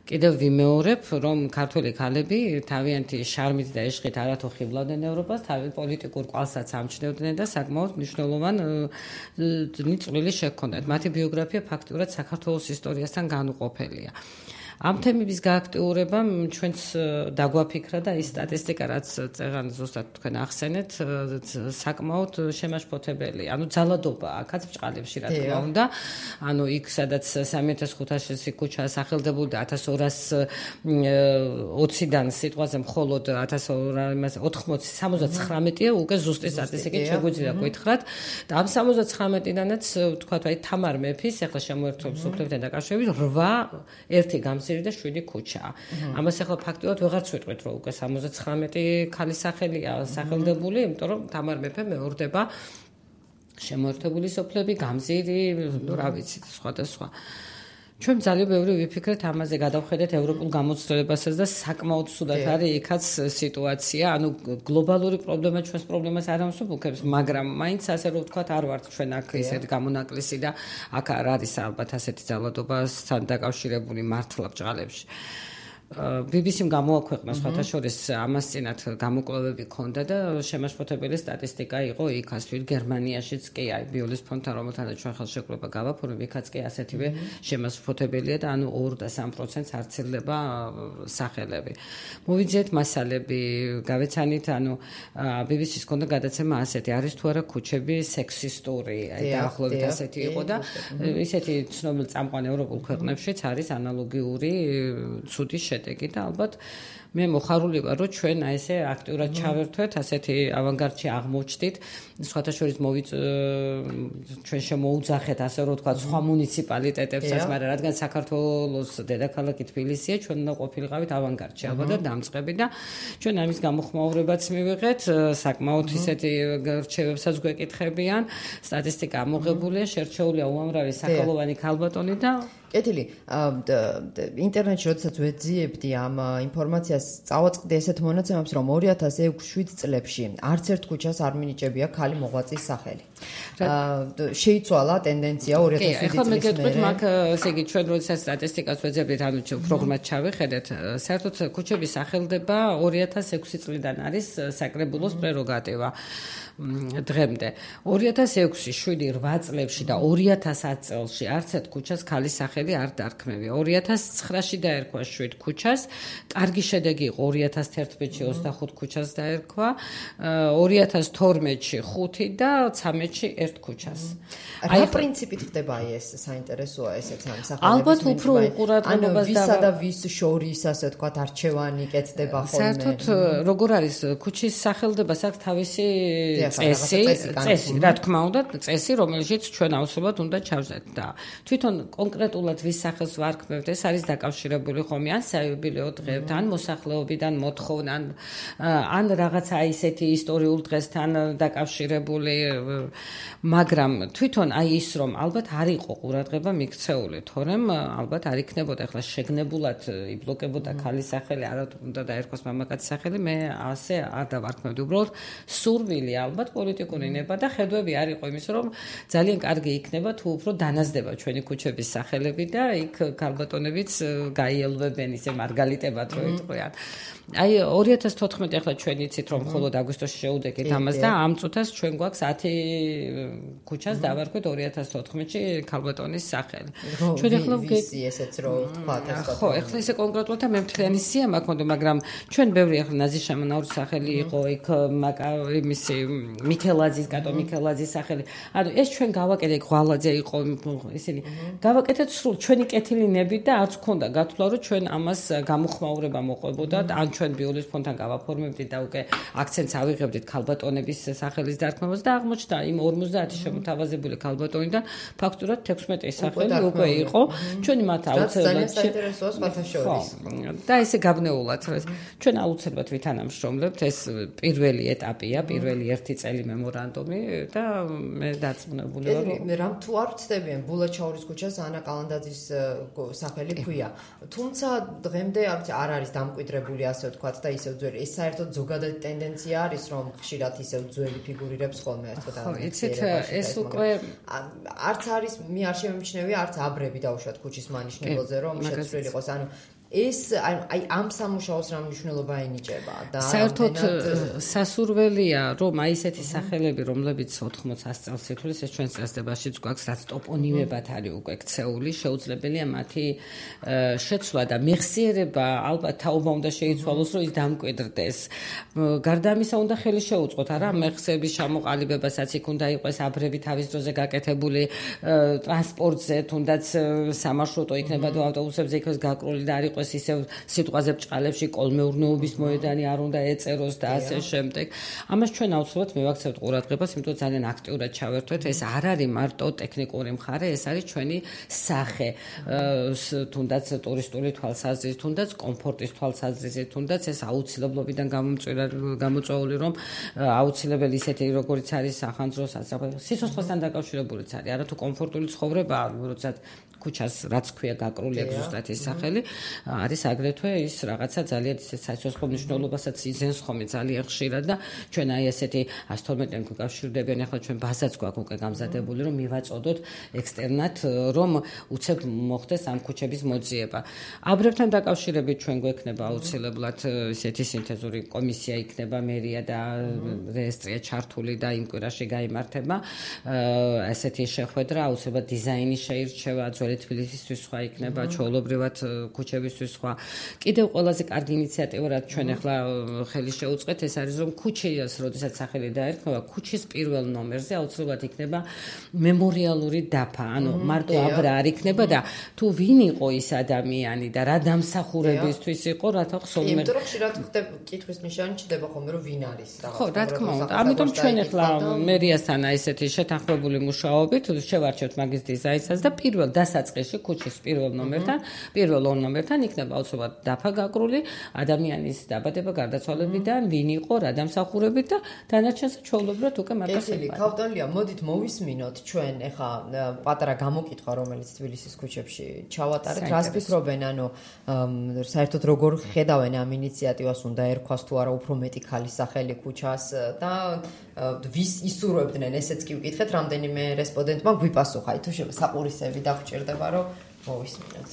კიდევ ვიმეორებ, რომ ქართველი ქალები თავიანთი შარმით და ეშხით არათუ ხიბლავდნენ ევროპას, თავის პოლიტიკურ კვალსაც ამჩნევდნენ და საკმაოდ მნიშვნელოვანი წვლილი შეჰქონდათ. მათი ბიოგრაფია ფაქტიურად საქართველოს ისტორიასთან განუყოფელია. ამ თემების გააქტიურებამ ჩვენს დაგვაფიქრა და ის სტატისტიკა, რაც წეღან ზუსტად თქვენ ახსენეთ, საკმაოდ შემაშფოთებელია. ძალადობა აქაც ბჭყალებში რა თქმა უნდა. იქ სადაც 3500 ქუჩა სახელდებული და 1220-დან სიტყვაზე მხოლოდ 79-ია უკვე ზუსტი სტატისტიკით შეგვიძლია გითხრათ. და ამ 79-დანაც ვთქვათ, თამარ მეფის, ახლა შემოერთვებს უფლებთან დაკავშირებით 8 ერთი გამზირი და 7 ქუჩაა. ამას ახლა ფაქტიურად ვეღარც ვიტყვით, რომ უკვე 79 ქალის სახელია სახელდებული, იმიტომ რომ თამარ მეფე მეორდება შემოერთებული სოფლები, გამზირი, რა ვიცი, სხვადასხვა. ჩვენ ძალიან ბევრი ვიფიქრეთ ამაზე, გადავხედეთ ევროპულ გამოცდილებასაც და საკმაოდ სუდად არის იქაც სიტუაცია, გლობალური პრობლემა ჩვენს პრობლემას არ ამსუბუქებს, მაგრამ მაინც ასე რომ ვთქვათ, არ ვართ ჩვენ აქ ისეთი გამონაკლისი და აქ არ არის ალბათ ასეთი ძალადობასთან დაკავშირებული მართლა ბჭყალებში. BBC-მ გამოაქვეყნა სხვათა შორის ამას წინათ გამოკვლევები ჰქონდა და შემაშფოთებელი სტატისტიკა იყო იქაც, თვით გერმანიაშიც კი აი ბიოლის ფონდთან რომელთანაც ჩვენ ხელშეკრულება გავაფორმებ, იქაც კი ასეთივე შემაშფოთებელია და 2 და 3%-ს არცილდება სახელები. მოვიძიეთ მასალები, გავეცანით, BBC-ს ჰქონდა გადაცემა ასეთი, არის თუ არა ქუჩები სექსისტური, აი დაახლოებით ასეთი იყო და ისეთი ცნობილი წამყვან ევროპულ ქვეყნებშიც არის ანალოგიური ცუდი შედეგი და ალბათ მე მოხარული ვარ, რომ ჩვენ აი ესე აქტიურად ჩავერთვეთ, ასეთი ავანგარდში აღმოჩნდით, სხვათა შორის ჩვენ შემოუძახეთ, ასე რომ ვთქვათ, სხვა მუნიციპალიტეტებსაც, მაგრამ რადგან საქართველოს დედაქალაქი თბილისია, ჩვენ უნდა ყოფილიყავით ავანგარდში, ალბათ და დამწყები და ჩვენ ამის გამოხმაურებაც მივიღეთ, საკმაოდ ისეთი რჩევებსაც გვეკითხებიან, სტატისტიკა ამოღებულია, შერჩეულია უამრავი სახელოვანი ქალბატონი და კეთილი, ინტერნეტში როდესაც ვეძიებდი ამ ინფორმაციას, წავაწყდი ესეთ მონაცემებს, რომ 2006-7 წლებში არც ერთ ქუჩას არ მინიჭებია ქალი მოღვაწის სახელი. შეიცვალა ტენდენცია 2007 წლის მერე. ახლა მაგ ესე იგი ჩვენ როდესაც სტატისტიკას ვეძებდით, პროგრამად ჩავეხედეთ, საერთოდ ქუჩების სახელდება 2006 წლიდან არის საკრებულოს პრეროგატივა. დღემდე. 2006-ში 7-8 წლებში და 2010 წელში არც ერთ ქუჩას ქალის სახელი არ დარქმევია. 2009-ში დაერქვა 7 ქუჩას, კარგი შედეგი იყო 2011-ში 25 ქუჩას დაერქვა, 2012-ში 5 და 13-ში 1 ქუჩას. რა პრინციპით ხდება ეს საინტერესოა ესეც ამ სახელების ალბათ უფრო უყურადღებობას ვისა და ვის შორის ასე ვთქვათ არჩევანი კეთდება ხოლმე. საერთოდ როგორ არის ქუჩის სახელდებას აქვს თავისი წესი, რა თქმა უნდა, წესი, რომელშიც ჩვენ აუცილებლად უნდა ჩავზეთ და თვითონ კონკრეტულად ვის სახელს ვარქმევთ, ეს არის დაკავშირებული ხომ ან საიუბილეო დღეებთან, ან მოსახლეობიდან მოთხოვნან, ან რაღაცა ისეთი ისტორიულ დღესთან დაკავშირებული, მაგრამ თვითონ აი ის რომ ალბათ არ იყო ყურადღება მიქცეული, თორემ ალბათ არ იქნებოდა ახლა შეგნებულად იბლოკებოდა ქალის სახელი, არა უნდა დაერქვას მამაკაცის სახელი, მე ასე არ დავარქმევდი. უბრალოდ სურვილი ალბათ პოლიტიკური ნება და ხედვები არ იყო იმის რომ ძალიან კარგი იქნება თუ უფრო დანაზდება ჩვენი ქუჩების სახელები და იქ ქალბატონებიც გაიელვებენ ისე მარგალიტებად რო იტყვიან. აი 2014 ახლა ჩვენ იცით რომ მხოლოდ აგვისტოში შეუდეკით ამას და ამ წუთას ჩვენ გვაქვს 10 ქუჩას დავარქვეთ 2014-ში ქალბატონის სახელი. ჩვენ ახლა ვიცი ესეც რო ვთქვათ ეს ხო, ახლა ესე კონკრეტულად მე მთლიანი სია მაქვს, მაგრამ ჩვენ ბევრი ახლა ნაზი შამანაურის სახელი იყო იქ იმისი მიქელაძის, კატო მიქელაძის სახელი. ანუ ეს ჩვენ გავაკეთეთ ღვალაძე იყო ისინი. გავაკეთეთ სრულ ჩვენი კეთილინები და არც ქონდა გათვლა რომ ჩვენ ამას გამოხმაურება მოყვებოდა ან ჩვენ ბიულის ფონდთან გავაფორმებდით და უკვე აქცენტს ავიღებდით ქალბატონების სახელის დარქმევას და აღმოჩნდა იმ 50 შემოთავაზებული ქალბატონიდან ფაქტურად 16 სახელი უკვე იყო. ჩვენი მათ აუცილებლად საინტერესოა სხვათა შორის. და ესე გაბნეულად ჩვენ აუცილებლად ვითანამშრომლებთ, ეს პირველი ეტაპია, პირველი 1 წელი მემორანდუმი და მე დარწმუნებული ვარ რომ რამ თუ არ ვწდებიან ბულაჩაურის ქუჩას ანა კალანდაძის სახელი ქვია. თუმცა დღემდე არ არის დამკვიდრებული ასე ვთქვათ და ისევ ძველი. ეს საერთოდ ზოგადად ტენდენცია არის რომ ხშირად ისევ ძველი ფიგურირებს ხოლმე ასე ვთქვათ. ხო, იცით ეს უკვე არც არის მე არ შემიმჩნევია არც აბრები დაუშვათ ქუჩის მანიშნებელზე რომ შეცვლილი იყოს. ანუ ეს აი ამ სამუშაოს რა მნიშვნელობა ენიჭება და საერთოდ სასურველია რომ აი ესეთი სახელები რომლებიც 80-100 წელს ითვლის ეს ჩვენს წესდებაშიც გვაქვს რაც ტოპონიმებად არის უკვე ქცეული შეუძლებელია მათი შეცვლა და მეხსიერება ალბათ თაობა უნდა შეიცვალოს რომ ის დამკვიდრდეს გარდა ამისა უნდა ხელი შეუწყოთ არა მეხსიერების ჩამოყალიბებასაც იქ უნდა იყოს აბრები თავის დროზე გაკეთებული ტრანსპორტზე თუნდაც სამარშრუტო იქნება და ავტობუსებზე იქოს გაკრული და არ იყოს ისევ სიტყვაზე ბჭყალებში კოლმეურნეობის მოედანი არ უნდა ეწეროს და ასე შემდეგ. ამას ჩვენ აუცილებლად მივაქცევთ ყურადღებას, იმიტომ ძალიან აქტიურად ჩავერთვეთ. ეს არ არის მარტო ტექნიკური მხარე, ეს არის ჩვენი სახე, თუნდაც ტურისტული თვალსაზრისით, თუნდაც კომფორტის თვალსაზრისით, თუნდაც ეს აუცილებლობიდან გამოწვეული, რომ აუცილებელი ისეთი როგორიც არის სახანძრო სიცოცხლესთან დაკავშირებულიც არის. არა თუ კომფორტული ცხოვრება, როდესაც ქუჩას რაც ქვია გაკრული აქვს ზუსტად ის სახელი არის აგრეთვე ის რაღაცა ძალიან სიცოცხლე მნიშვნელობასაც იძენს ხოლმე ძალიან ხშირად და ჩვენ აი ესეთი 112-დან გვიკავშირდებიან ახლა ჩვენ ბაზაც გვაქვს უკვე გამზადებული რომ მივაწოდოთ ექსტერნად რომ უცებ მოხდეს ამ ქუჩების მოძიება. აბრებთან დაკავშირებით ჩვენ გვექნება აუცილებლად ესეთი სინთეზური კომისია იქნება მერია და რეესტრია ჩართული და იმ კვირაში გაიმართება ესეთი შეხვედრა აუცილებლად დიზაინი შეირჩევა თბილისისთვის სხვა იქნება ჩვეულებრივად ქუჩებისთვის სხვა. კიდევ ყველაზე კარგი ინიციატივა რაც ჩვენ ახლა ხელი შეუწყეთ ეს არის რომ ქუჩის როდესაც სახელი დაერქმევა ქუჩის პირველ ნომერზე აუცილებლად იქნება მემორიალური დაფა. ანუ მარტო აბრა არ იქნება და თუ ვინ იყო ის ადამიანი და რა დამსახურებისთვის იყო რათა ხსოვნა. იმიტომ რომ ხშირად კითხვის ნიშანი ჩდება ხოლმე რომ ვინ არის რაღაც. ხო, რა თქმა უნდა. ამიტომ ჩვენ ახლა მერიასთან ესეთი შეთანხმებული მუშაობით შევარჩევთ მაგის დიზაინსაც და პირველ დასაწყისში ქუჩის პირველ ნომერთან იქნება აუცილებლად დაფა გაკრული ადამიანის დაბადება გარდაცვალებიდან ვინ იყო რა დამსახურებით და დანარჩენს ჩვეულებრივად უკვე მაგას ეხება. ქავტონლია მოდით მოვისმინოთ ჩვენ ახლა პატარა გამოკითხვა რომელიც თბილისის ქუჩებში ჩავატარეთ რას ფიქრობენ ანუ საერთოდ როგორ ხედავენ ამ ინიციატივას უნდა ერქვას თუ არა უფრო მეტი ქალის სახელი ქუჩას და ვის ისურვებდნენ ესეც კი ვკითხეთ რამდენიმე რესპონდენტმა გვიპასუხა თუ საყურისები დაგჭირდება რომ მოვისმინოთ.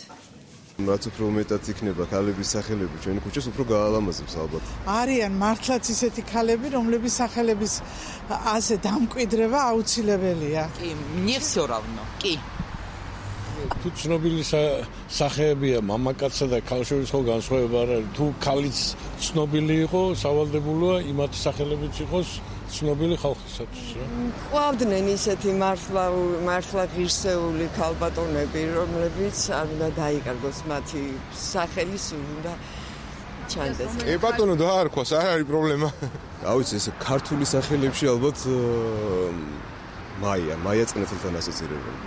რაც უფრო მეტად იქნება ქალების სახელები ჩვენი ქუჩას უფრო გაალამაზებს ალბათ. არიან მართლაც ისეთი ქალები, რომლების სახელების ასე დამკვიდრება აუცილებელია. კი, мне всё равно. კი. თუ ცნობილი სახეებია მამაკაცსა და ქალშორის ხო განსხვავება არ არის. თუ ქალიც ცნობილი იყო, სავალდებულოა იმათ სახელებიც იყოს ცნობილი ხალხისათვის რა. ყვავდნენ ისეთი მართლა ღირსეული ქალბატონები, რომლებიც არ უნდა დაიკარგოს მათი სახელის უნდა ჩანდეს. ბატონო დაარქვას, არ არის პრობლემა. რა ვიცი, ეს ქართული სახელებში ალბათ მაია წნეთელთან ასოცირებული.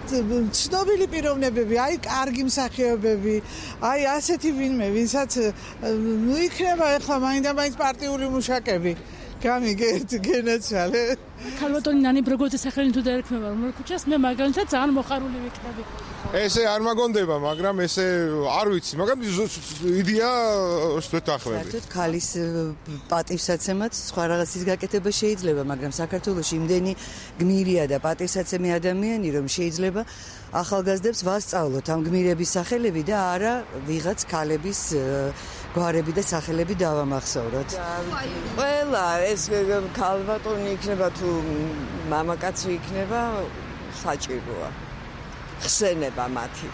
ცნობილი პიროვნებები, აი კარგი მსახიობები, აი ასეთი ვინმე, ვინცაც იქნება ახლა მაინდა-მაინც პარტიული მუშაკები. გამიგეთ, გენაცვალე. ქალბატონი ნანი ბროგოძის სახელი თუ დაერქმევა რომ ქუჩას, მე მაგალითად ძალიან მოხარული ვიქნები. ესე არ მაგონდება, მაგრამ ესე არ ვიცი, მაგრამ იდეა ვეთახმები. საერთოდ ქალის პატივსაცემად სხვა რაღაცის გაკეთება შეიძლება, მაგრამ საქართველოში იმდენი გმირია და პატივსაცემი ადამიანი, რომ შეიძლება ახალგაზრდებს ვასწავლოთ ამ გმირების სახელები და არა ვიღაც ქალების გვარები და სახელები დავამახსოვროთ. ყველა ეს ქალბატონი იქნება თუ მამაკაცი იქნება საჭიროა. ხსენება მათი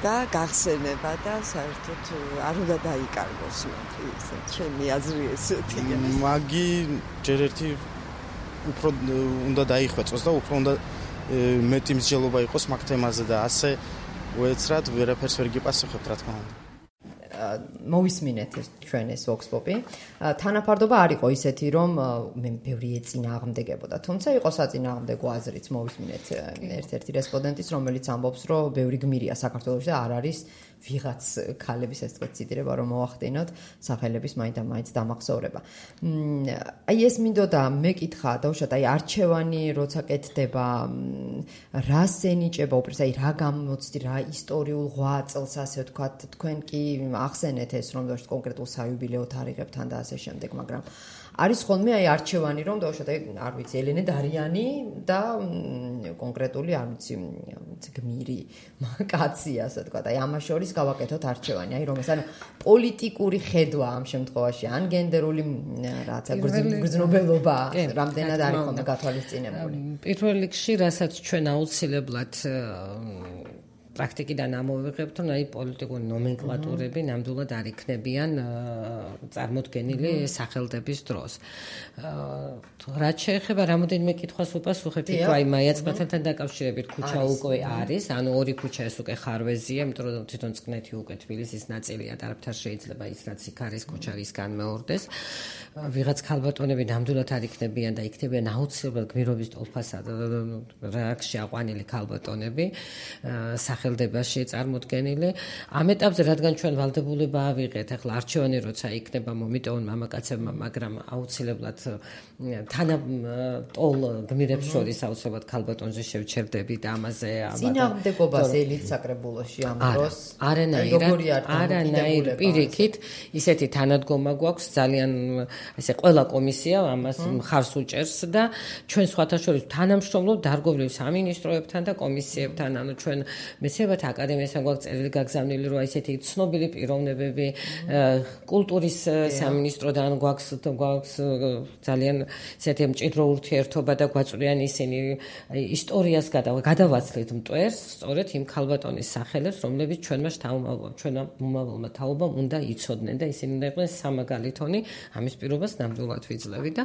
და გახსენება და საერთოდ არ უნდა დაიკარგოს მათი, ჩემი აზრი ესეთია. მაგი ჯერ ერთი უფრო უნდა დაიხვეწოს და უფრო უნდა მეტი მსჯელობა იყოს მაგ თემაზე და ასე უეცრად ვერაფერს ვერ გიპასუხებთ რა თქმა უნდა. მოვისმინეთ ჩვენ ეს Vox Pop-ი. თანაფარდობა არ იყო ისეთი, რომ მე ბევრი ეწინააღმდეგებოდა. თუმცა იყო საწინააღმდეგო აზრიც. მოვისმინეთ ერთ-ერთი რესპონდენტის, რომელიც ამბობს, რომ ბევრი გმირია საქართველოში და არ არის ვიღაც ქალების ეს თქვა ციტირება რომ მოახდინოთ სახელების მაინდა-მაინც დამახსოვრება. აი ეს მინდოდა მეკითხა დაუშვათ აი არჩევანი როცა კეთდება რას ენიჭება უპირს აი რა გამოცდი რა ისტორიულ ღვაწლს ასე ვთქვათ თქვენ კი ახსენეთ ეს რომ დაუშვათ კონკრეტულ საიუბილეო თარიღებთან და ასე შემდეგ მაგრამ არის ხოლმე აი არჩევანი რომ დაუშვათ აი არ ვიცი ელენე დარიანი და კონკრეტული არ ვიცი გმირი კაცი ასე ვთქვათ აი ამას შორის გავაკეთოთ არჩევანი აი რომ ეს ანუ პოლიტიკური ხედვა ამ შემთხვევაში ან გენდერული რაცა გრძნობელობა რამდენად არის ხოლმე გათვალისწინებული პირველ რიგში რასაც ჩვენ აუცილებლად პრაქტიკიდან ამოვიღებთ, რომ აი პოლიტიკური ნომენკლატურები ნამდვილად არ იქნებიან წარმოდგენილი სახელდების დროს. რაც შეეხება რამოდენიმე კითხვას უპასუხებთ, აი მაია წყნეთთან დაკავშირებით ქუჩა უკვე არის, ანუ ორი ქუჩა ეს უკვე ხარვეზია, იმიტომ რომ თვითონ წყნეთი უკვე თბილისის ნაწილია და არაფერ შეიძლება ის რაც იქ არის ქუჩა ის განმეორდეს. ვიღაც ქალბატონები ნამდვილად არ იქნებიან და იქნებიან აუცილებლად გმირობის ტოლფასა რააქში აყვანილი ქალბატონები სახელდებაში წარმოდგენილი. ამ ეტაპზე რადგან ჩვენ ვალდებულება ავიღეთ, ახლა არჩევანი როცა იქნება მომიტევონ მამაკაცებმა, მაგრამ აუცილებლად თანატოლ გმირებს შორის აუცილებლად ქალბატონზე შევჩერდები და ამაზე წინააღმდეგობას ელით საკრებულოში ამ დროს არანაირ პირიქით ისეთი თანადგომა გვაქვს ძალიან ესე ყველა კომისია ამას მხარს უჭერს და ჩვენ სხვათა შორის თანამშრომლობთ დარგობრივ სამინისტროებთან და კომისიებთან, ანუ ჩვენ მეცნიერებათა აკადემიასთან გვაქვს წერილი გაგზავნილი, რომ ესეთი ცნობილი პიროვნებები კულტურის სამინისტროდან გვაქვს ძალიან ესეთი მჭიდრო ურთიერთობა და გვაწვდიან ისინი ისტორიას გადავაცლით მტვერს, სწორედ იმ ქალბატონის სახელებს, რომლებიც ჩვენმა მომავალმა თაობამ უნდა იცოდნენ და ისინი უნდა იყვნენ სამაგალითონი, ამის პირობას ნამდვილად ვიძლევი და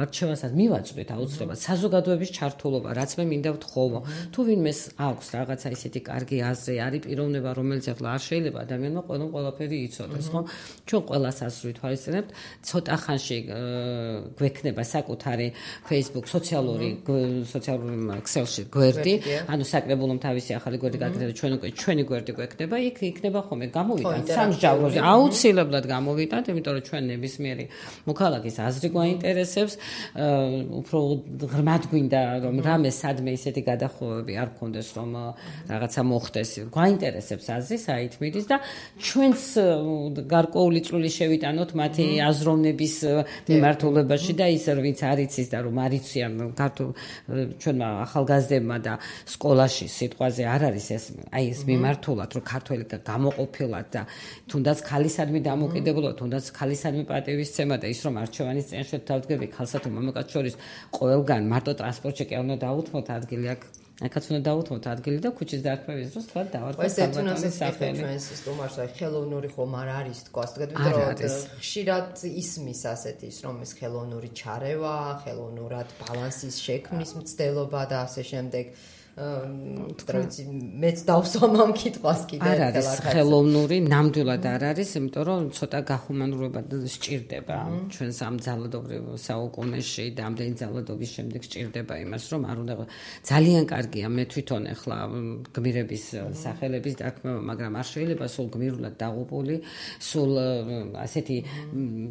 არჩევანსაც მივაწვდით აუცილებლად საზოგადოების ჩართულობა, რაც მე მინდა ვთხოვო. თუ ვინმეს აქვს რაღაცა ისეთი კარგი აზრი, არის პიროვნება, რომელიც ახლა არ შეიძლება ადამიანმა ყველაფერი იცოდეს, ხო? ჩვენ ყველას აზრი თვალისწინებთ, ცოტა ხანში გვექნება საკუთარი Facebook სოციალური ქსელში გვერდი, ანუ საკრებულომ თავისი ახალი გვერდი გაკეთდა, ჩვენ უკვე ჩვენი გვერდი გვექნება, იქ იქნება ხოლმე გამოვიტანთ სამსჯავროზე, აუცილებლად გამოვიტანთ, იმიტომ რომ ჩვენ ნებისმიერი მოქალაქის აზრი გვაინტერესებს, უფრო ღრმად გვინდა რომ რამე სადმე ისეთი გადახოვები არ გქონდეს, რომ რაღაცა მოხდეს. გვაინტერესებს აზრი საით მიდის და ჩვენს გარკვეული წვლილი შევიტანოთ მათი აზროვნების მიმართულებაში და ის ვინც არ იცის და რომ არ იციან ქართულ ჩვენმა ახალგაზრდებმა და სკოლაში სიტყვაზე არ არის ეს მიმართულად რომ ქართველი გამოყოფილად და თუნდაც ქალისადმი დამოკიდებულება, თუნდაც ქალისადმი პატივისცემა და ის რომ არჩევანის წინაშე დავდგები ქალსა თუ მამაკაც შორის ყველგან მარტო ტრანსპორტში კი არ უნდა დაუთმოთ ადგილი აქაც უნდა დაუთმოთ ადგილი და ქუჩის დარქმევის დროს თქვა დავარქვათ საბატონის სახელი. ჩვენს სტუმარს აი ხელოვნური ხომ არ არის თქვა, რომ ხშირად ისმის ასეთის რომ ეს ხელოვნური ჩარევა, ხელოვნურად ბალანსის შექმნის მცდელობა და ასე შემდეგ. მეც დავსვამ ამ კითხვას კიდევ არ არის ხელოვნური, ნამდვილად არ არის, იმიტომ რომ ცოტა გახუმანურება სჭირდება ჩვენს ამ ძალადობრივ საუკუნეში და ამდენი ძალადობის შემდეგ სჭირდება იმას, რომ არ უნდა ძალიან კარგია მე თვითონ ახლა გმირების სახელების დარქმევა, მაგრამ არ შეიძლება სულ გმირულად დაღუპული, სულ ასეთი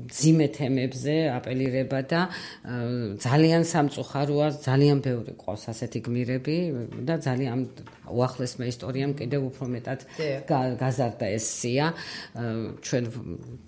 ძიმე თემებზე აპელირება და ძალიან სამწუხაროა, ძალიან ბევრი ყავს ასეთი გმირები და ძალიან უახლესმა ისტორიამ კიდევ უფრო მეტად გაზარდა ეს სია. ჩვენ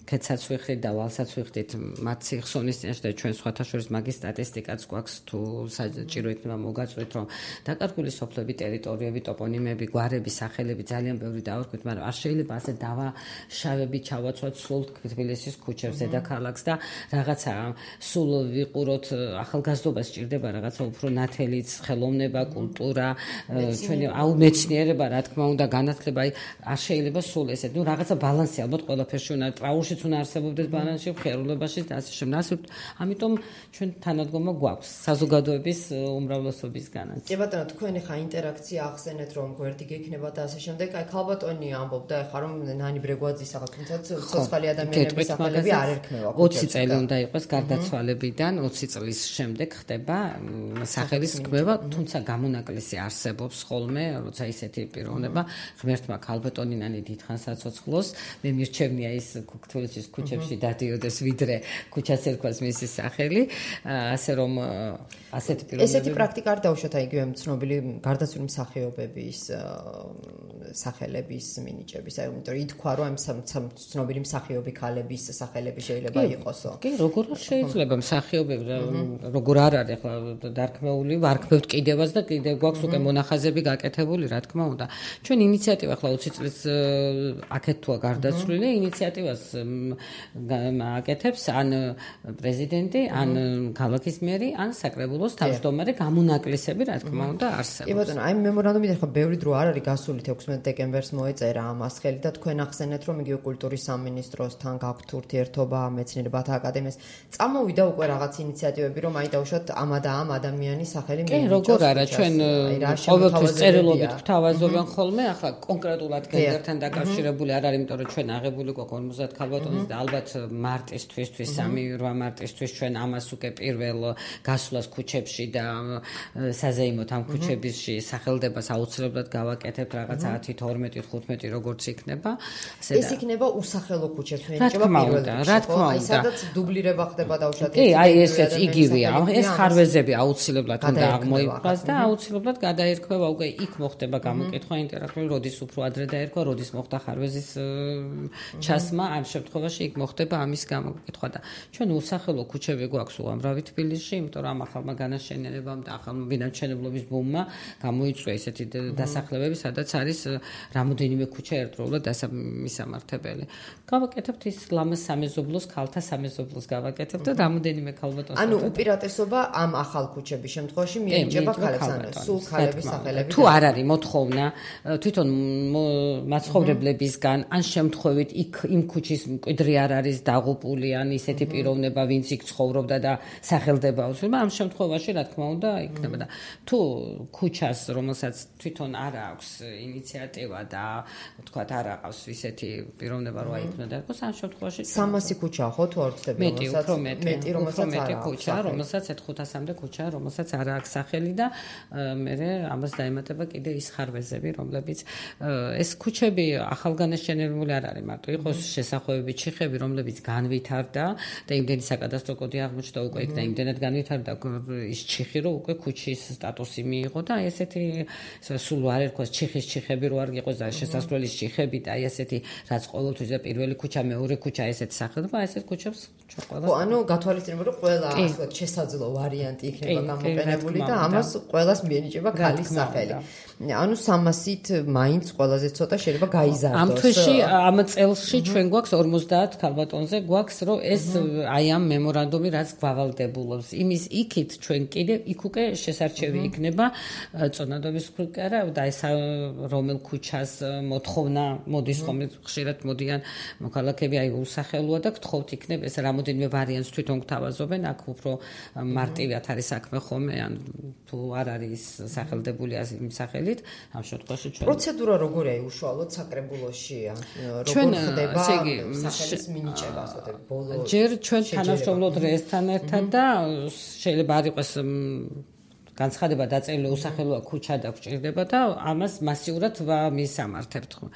ქეცაც ვიხდით და ვალსაც ვიხდით მათ სიხსონის წინაშე და ჩვენ სხვათა შორის მაგის სტატისტიკაც გვაქვს თუ საჭირო იქნება მოგაწვით რომ დაკარგული სოფლები, ტერიტორიები, ტოპონიმები, გვარები, სახელები ძალიან ბევრი დავარქვით, მაგრამ არ შეიძლება ასე დავაშავებით ჩავაცვათ სულ თბილისის ქუჩებს, დედაქალაქს და რაღაცა სულ ვიყუროთ ახალგაზრდობას სჭირდება რაღაცა უფრო ნათელიც, ხელოვნება, კულტურა, ჩვენი მეცნიერება, რა თქმა უნდა, განათლება, არ შეიძლება სულ ესე. ნუ რაღაცა ბალანსი ალბათ ყველაფერში უნდა, ტრაულშიც უნდა არსებობდეს ბალანსი, ხერულებაშიც და ასე შემდეგ. ამიტომ ჩვენ თანადგომა გვაქვს საზოგადოების უმრავლესობისგანაც. კი ბატონო, თქვენი ხა ინტერაქცია ახსენეთ რომ გვერდი გექნება და ასე შემდეგ. აი ქალბატონი ამბობდა ახლა რომ ნანი ბრეგვაძის ახლა თუმცა ცოცხალი ადამიანების სახელები არ ერქმევა. 20 წელი უნდა იყოს გარდაცვალებიდან, 20 წლის შემდეგ ხდება სახელის რქმევა, თუმცა გამონაკლისი არსებობს ხოლმე, როცა ისეთი პიროვნება ღმერთმა ქალბატონინანი დიდხანს აცოცხლოს, მე მირჩევნია ის თბილისის ქუჩებში დადიოდეს, ვიდრე ქუჩას ერქვას მისი სახელი, ასე რომ ასეთი პიროვნები. ესეთი პრაქტიკა არ დაუშვათ აი იგივე ცნობილი გარდაცვლილი მსახიობების სახელების მინიჭების, აი იმიტომ რომ ითქვა რომ ამ ცნობილი მსახიობი ქალების სახელები შეიძლება იყოსო. კი, როგორ შეიძლება მსახიობები, როგორ არ არის ახლა დარქმეული, ვარქმევთ კიდევაც და კიდევ გვაქვს უკვე მონახაზები გაკეთებული, რა თქმა უნდა. ჩვენ ინიციატივა ახლა 20 წლის აქეთ თუა გარდაცვლილი, ინიციატივას აკეთებს ან პრეზიდენტი, ან ქალაქის მერი, ან საკრებულოს თავმჯდომარე, გამონაკლისები, რა თქმა უნდა, არსებობს. კი ბატონო, აი მემორანდუმიდან ხა ბევრი დრო არ არის გასული 16 დეკემბერს მოეწერა ამას ხელი და თქვენ ახსენეთ რომ იგივე კულტურის სამინისტროსთან გაქვთ ურთიერთობა, მეცნიერებათა აკადემიას. წამოვიდა უკვე რაღაც ინიციატივები რომ აი დავუშვათ ამ და ამ ადამიანის სახელი მიიღოს. კი, როგორ არა, ჩვენ ყოველთვის წერილობით გვთავაზობენ ხოლმე, ახლა კონკრეტულად გენდერთან დაკავშირებული არ არის, იმიტომ რომ ჩვენ აღებული გვაქვს 50 ქალბატონის და ალბათ მარტისთვის, 3-8 მარტისთვის ჩვენ ამას უკვე პირველ გასვლას ქუჩებში და საზეიმოთ ამ ქუჩებში სახელდებას აუცილებლად გავაკეთებთ რაღაცა 10-12-15 როგორც იქნება. ეს იქნება უსახელო ქუჩებს ვენიჭება პირველ რიგში. რა თქმა უნდა. სადაც დუბლირება ხდება დაუშვათ. კი, აი ესეც იგივეა. ეს ხარვეზები აუცილებლად უნდა აღმოიფხვრას და აუცილებლად გადაერქმევა უკვე იქ მოხდება გამოკითხვა ინტერაქტიული, როდის უფრო ადრე დაერქვა, როდის მოხდა ხარვეზის ჩასმა, ამ შემთხვევაში იქ მოხდება ამის გამოკითხვა და ჩვენ უსახელო ქუჩები გვაქვს უამრავი თბილისში, იმიტომ რომ ამ ახალმა განაშენიანებამ და ახალ მიანჩენებლობის ბუმმა გამოიწვია ესეთი დასახლებები, სადაც არის რამოდენიმე ქუჩა ერთდროულად მისამართებელი. გავაკეთებთ ის ლამაზ სამეზობლოს, ქალთა სამეზობლოს გავაკეთებთ და რამოდენიმე ქალბატონს. ანუ უპირატესობა ამ ახალ ქუჩების შემთხვევაში მიენიჭება ქალებს, ანუ სულ ქალების სახელები. თუ არ არის მოთხოვნა თვითონ მაცხოვრებლებისგან, ან შემთხვევით იმ ქუჩის მკვიდრი არ არის დაღუპული, ან ისეთი პიროვნება, ვინც იქ ცხოვრობდა და სახელდება აუცილებლად, ამ შემთხვევაში რა თქმა უნდა იქნება და თუ ქუჩას, რომელსაც თვითონ არ აქვს ინიციატივა და თქვათ არ აყავს ისეთი პიროვნება, რომ აიქნა და იყოს, ამ შემთხვევაში 300 ქუჩაა ხო თუ არ ვცდები, მეტი, რომელსაც არ აქვს ქუჩა, რომელსაც 500-მდე ქუჩა, რომელსაც არ აქვს სახელი და მე ამას დაემატება კიდე ის ხარვეზები, რომლებიც ეს ქუჩები ახალგანაშენებული არ არის მარტო, იყოს შესახვევები, ჩიხები, რომლებიც განვითარდა და იმდენი საკადასტრო კოდი აღმოჩნდა უკვე იქ და იმდენად განვითარდა ის ჩიხი, რომ უკვე ქუჩის სტატუსი მიიღო და აი ესეთი სულ არ ერქვა ჩიხის ჩიხები რო არ იყოს და შესასვლელის ჩიხები და აი ესეთი რაც ყოველთვის და პირველი ქუჩა, მეორე ქუჩა ესეთი სახელობა, ესეთ ქუჩებს ჩვენ ყველა. ანუ გათვალისწინებთ რომ ყველა ასე შესაძლო ვარიანტი იქნება გამოყენებული და ამას ყველას მიენიჭება ქალის სახელი. ანუ 300-ით მაინც ყველაზე ცოტა შეიძლება გაიზარდოს. ამ თვეში ამ წელში ჩვენ გვაქვს 50 ქალბატონზე გვაქვს რომ ეს აი ამ მემორანდუმი რაც გვავალდებულობს. იმის იქით ჩვენ კიდე იქ უკვე შესარჩევი იქნება წონადობის ხრი და ეს რომელ ქუჩას მოთხოვნა მოდის ხომ ხშირად მოდიან მოქალაქეები აი უსახელოა და გთხოვთ იქნებ ეს რამოდენიმე ვარიანტს თვითონ გთავაზობენ აქ უფრო მარტივად არის საქმე ხომ ან თუ არ არის სახელდებული იმ სახელით ამ შემთხვევაში ჩვენ პროცედურა როგორია უშუალოდ საკრებულოში როგორ ხდება სახელის მინიჭება ასე ვთქვი ბოლო ჯერ ჩვენ თანამშრომლობთ რესთან ერთად და შეიძლება არ იყოს განცხადება დაწერილი უსახელოა ქუჩა და გვჭირდება და ამას მასიურად ვამისამართებთ ხო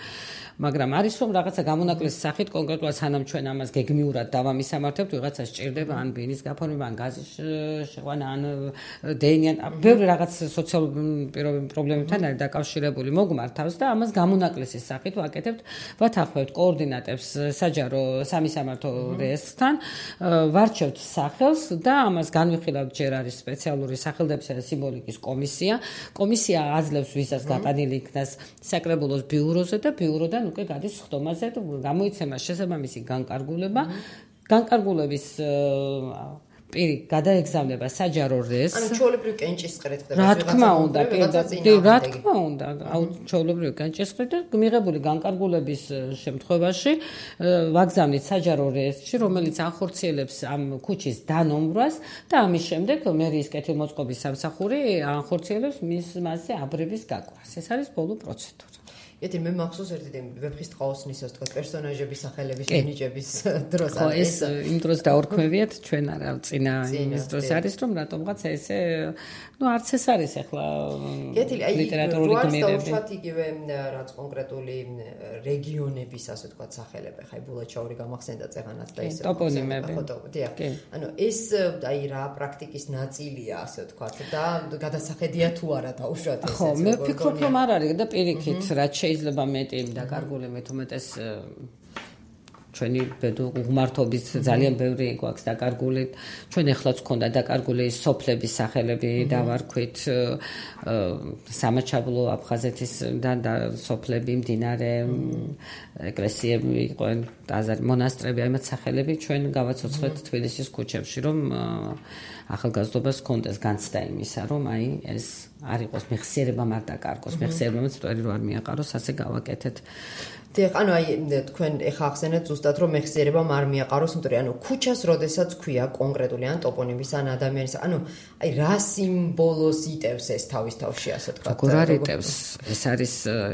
მაგრამ არის რომ რაღაცა გამონაკლისის სახით კონკრეტულად სანამ ჩვენ ამას გეგმიურად დავამისამართებთ ვიღაცა სჭირდება ან ბინის გაფორმება ან გაზის შეყვანა ან დეინიან ბევრი რაღაც სოციალური პრობლემებთან არის დაკავშირებული მოგმართავს და ამას გამონაკლისის სახით ვაკეთებთ ვათანხმებთ კოორდინატებს საჯარო სამისამართო რესთან ვარჩევთ სახელს და ამას განვიხილავთ ჯერ არის სპეციალური სახელდებისა და სიმბოლიკის კომისია აძლევს ვისაც გატანილი იქნას საკრებულოს ბიუროზე და ბიუროდან უკვე გადის ხდომაზე და გამოიცემა შესაბამისი განკარგულების პირი გადაეგზავნება საჯარო რესს. ანუ ჩვეულებრივ კენჭისყრით ხდება. რა თქმა უნდა, რა თქმა უნდა, ჩვეულებრივ კენჭისყრით და მიღებული განკარგულების შემთხვევაში ვაგზავნით საჯარო რესში, რომელიც ახორციელებს ამ ქუჩის დანომბრას და ამის შემდეგ მერიის კეთილმოწყობის სამსახური ახორციელებს მასზე აბრების გაკვას. ეს არის ბოლო პროცედურა. ეთი მე მახსოვს ერთი ვეფხის ტყაოსნის ასე თქვა პერსონაჟების სახელების მინიჭების დროს არის. ხო ეს იმ დროს დაორქმევიათ ჩვენ არა წინა იმის დროს არის რომ რატომღაც ესე ну არც ეს არის ახლა ლიტერატურული გმირები. უბრალოდ იგივე რაც კონკრეტული რეგიონების ასე თქვა სახელები ხაი ბულაჩაური გამახსენდა წეღანაც და ისე ტოპონიმები. ანუ ეს აი რა პრაქტიკის ნაწილია ასე თქვა და გადასახედია თუ არა დაუშვათ ეს. ხო მე ვფიქრობ რომ არ არის და პირიქით რაც შეიძლება მეტი დაკარგული მეთუმეტეს ჩვენი უღმართობის ძალიან ბევრი გვაქვს დაკარგული ჩვენ ეხლაც გქონდა დაკარგული სოფლების სახელები დავარქვით სამაჩაბლო აფხაზეთისგან და სოფლები მდინარე ეკლესიები იყვნენ ტაძარი მონასტრები აიმაც სახელები ჩვენ გავაცოცხლეთ თბილისის ქუჩებში რომ ახალგაზრდობას კონდეს განცდა იმისა რომ აი ეს არ იყოს მეხსიერება არ დაკარგოს მეხსიერებამაც წვერი რო არ მიაყაროს ასე გავაკეთეთ დიახ, ანუ აი თქვენ ეხა ახსენეთ ზუსტად რომ მეხსიერება არ მიაყაროს, იმიტომ ანუ ქუჩას როდესაც ქვია კონკრეტული ან ტოპონიმის ან ადამიანის, ანუ აი რა სიმბოლოს იტევს ეს თავის თავში ასე თქვა. როგორ არ იტევს? ეს არის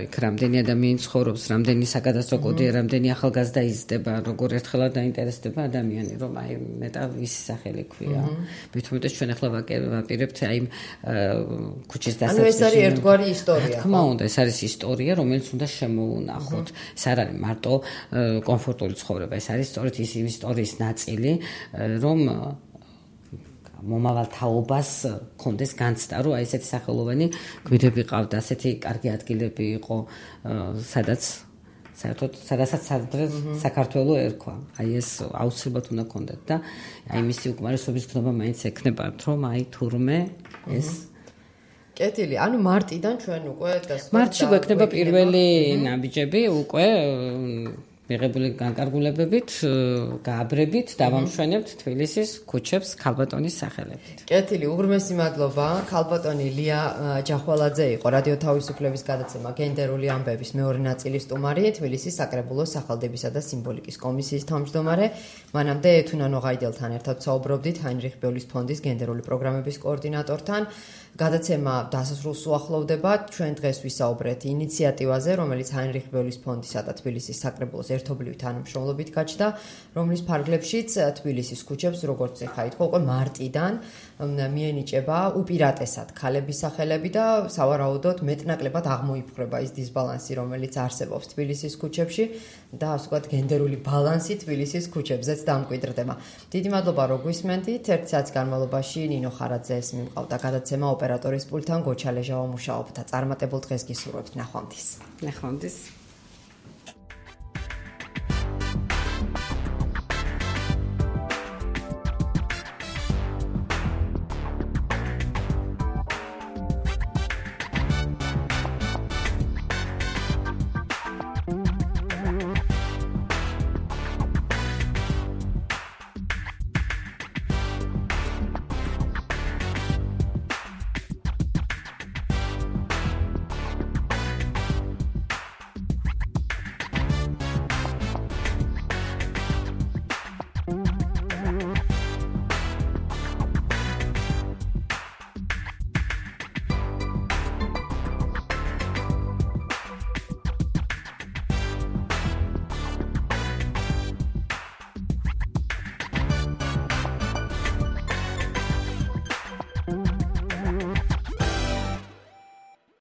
იქ რამდენი ადამიანი ცხოვრობს, რამდენი საკადასტრო კოდია, რამდენი ახალგაზრდა იზრდება, როგორ ერთხელად დაინტერესდება ადამიანი, რომ აი მეტა ვისი სახელი ქვია. მithumetes ჩვენ ახლა ვაპირებთ აი ქუჩის დასაწყისში. ანუ ეს არის ერთგვარი ისტორია. რა თქმა უნდა, ეს არის ისტორია, რომელიც უნდა შემოუნახოთ. ეს არ არის მარტო კომფორტული ცხოვრება, ეს არის სწორედ ის ისტორიის ნაწილი, რომ მომავალ თაობას კონდეს განცდა, რომ აი ესეთი სახელოვანი გვირები ყავდა, ასეთი კარგი ადგილები იყო, სადაც საერთოდ სადაც საქართველო ერქვა. აი ეს აუცილებლად უნდა კონდეთ და აი მისი უკმარისობის გზნობა მაინც ექნებათ, რომ აი თურმე ეს კეთილი, ანუ მარტიდან ჩვენ უკვე მარტში გვექნება პირველი ნაბიჯები უკვე მიღებული განკარგულებებით, გააბრებით დავამშვენებთ თბილისის ქუჩებს ქალბატონის სახელებით. კეთილი, უღრმესი მადლობა. ქალბატონი ლია ჯახვალაძე იყო რადიო თავისუფლების გადაცემა გენდერული ამბების მეორე ნაწილის სტუმარი, თბილისის საკრებულოს სახელდებისა და სიმბოლიკის კომისიის თავმჯდომარე. მანამდე ეთუნა ნოღაიდელთან ერთად საუბრობდით ჰაინრიხ ბეულის ფონდის გენდერული პროგრამების კოორდინატორთან. გადაცემა დასასრულს უახლოვდება. ჩვენ დღეს ვისაუბრეთ ინიციატივაზე, რომელიც ჰაინრიხ ბევლის ფონდისა და თბილისის საკრებულოს ერთობლივი თანამშრომლობით გაჩნდა, რომლის ფარგლებშიც თბილისის ქუჩებს, როგორც ეხა ითქვა, უკვე მარტიდან მიენიჭება უპირატესად ქალების სახელები და სავარაუდოდ მეტნაკლებად აღმოიფხვრება ის დისბალანსი, რომელიც არსებობს თბილისის ქუჩებში და ასე ვთქვათ, გენდერული ბალანსი თბილისის ქუჩებზეც დამკვიდრდება. დიდი მადლობა, რომ გვისმენთ. ერთ საათის განმავლობაში ნინო ხარაძეს მიმყავდა გადაცემა ოპერატორის პულტთან, გოჩა ლეჟავა მუშაობდა. წარმატებულ დღეს გისურვებთ. ნახვამდის. ნახვამდის.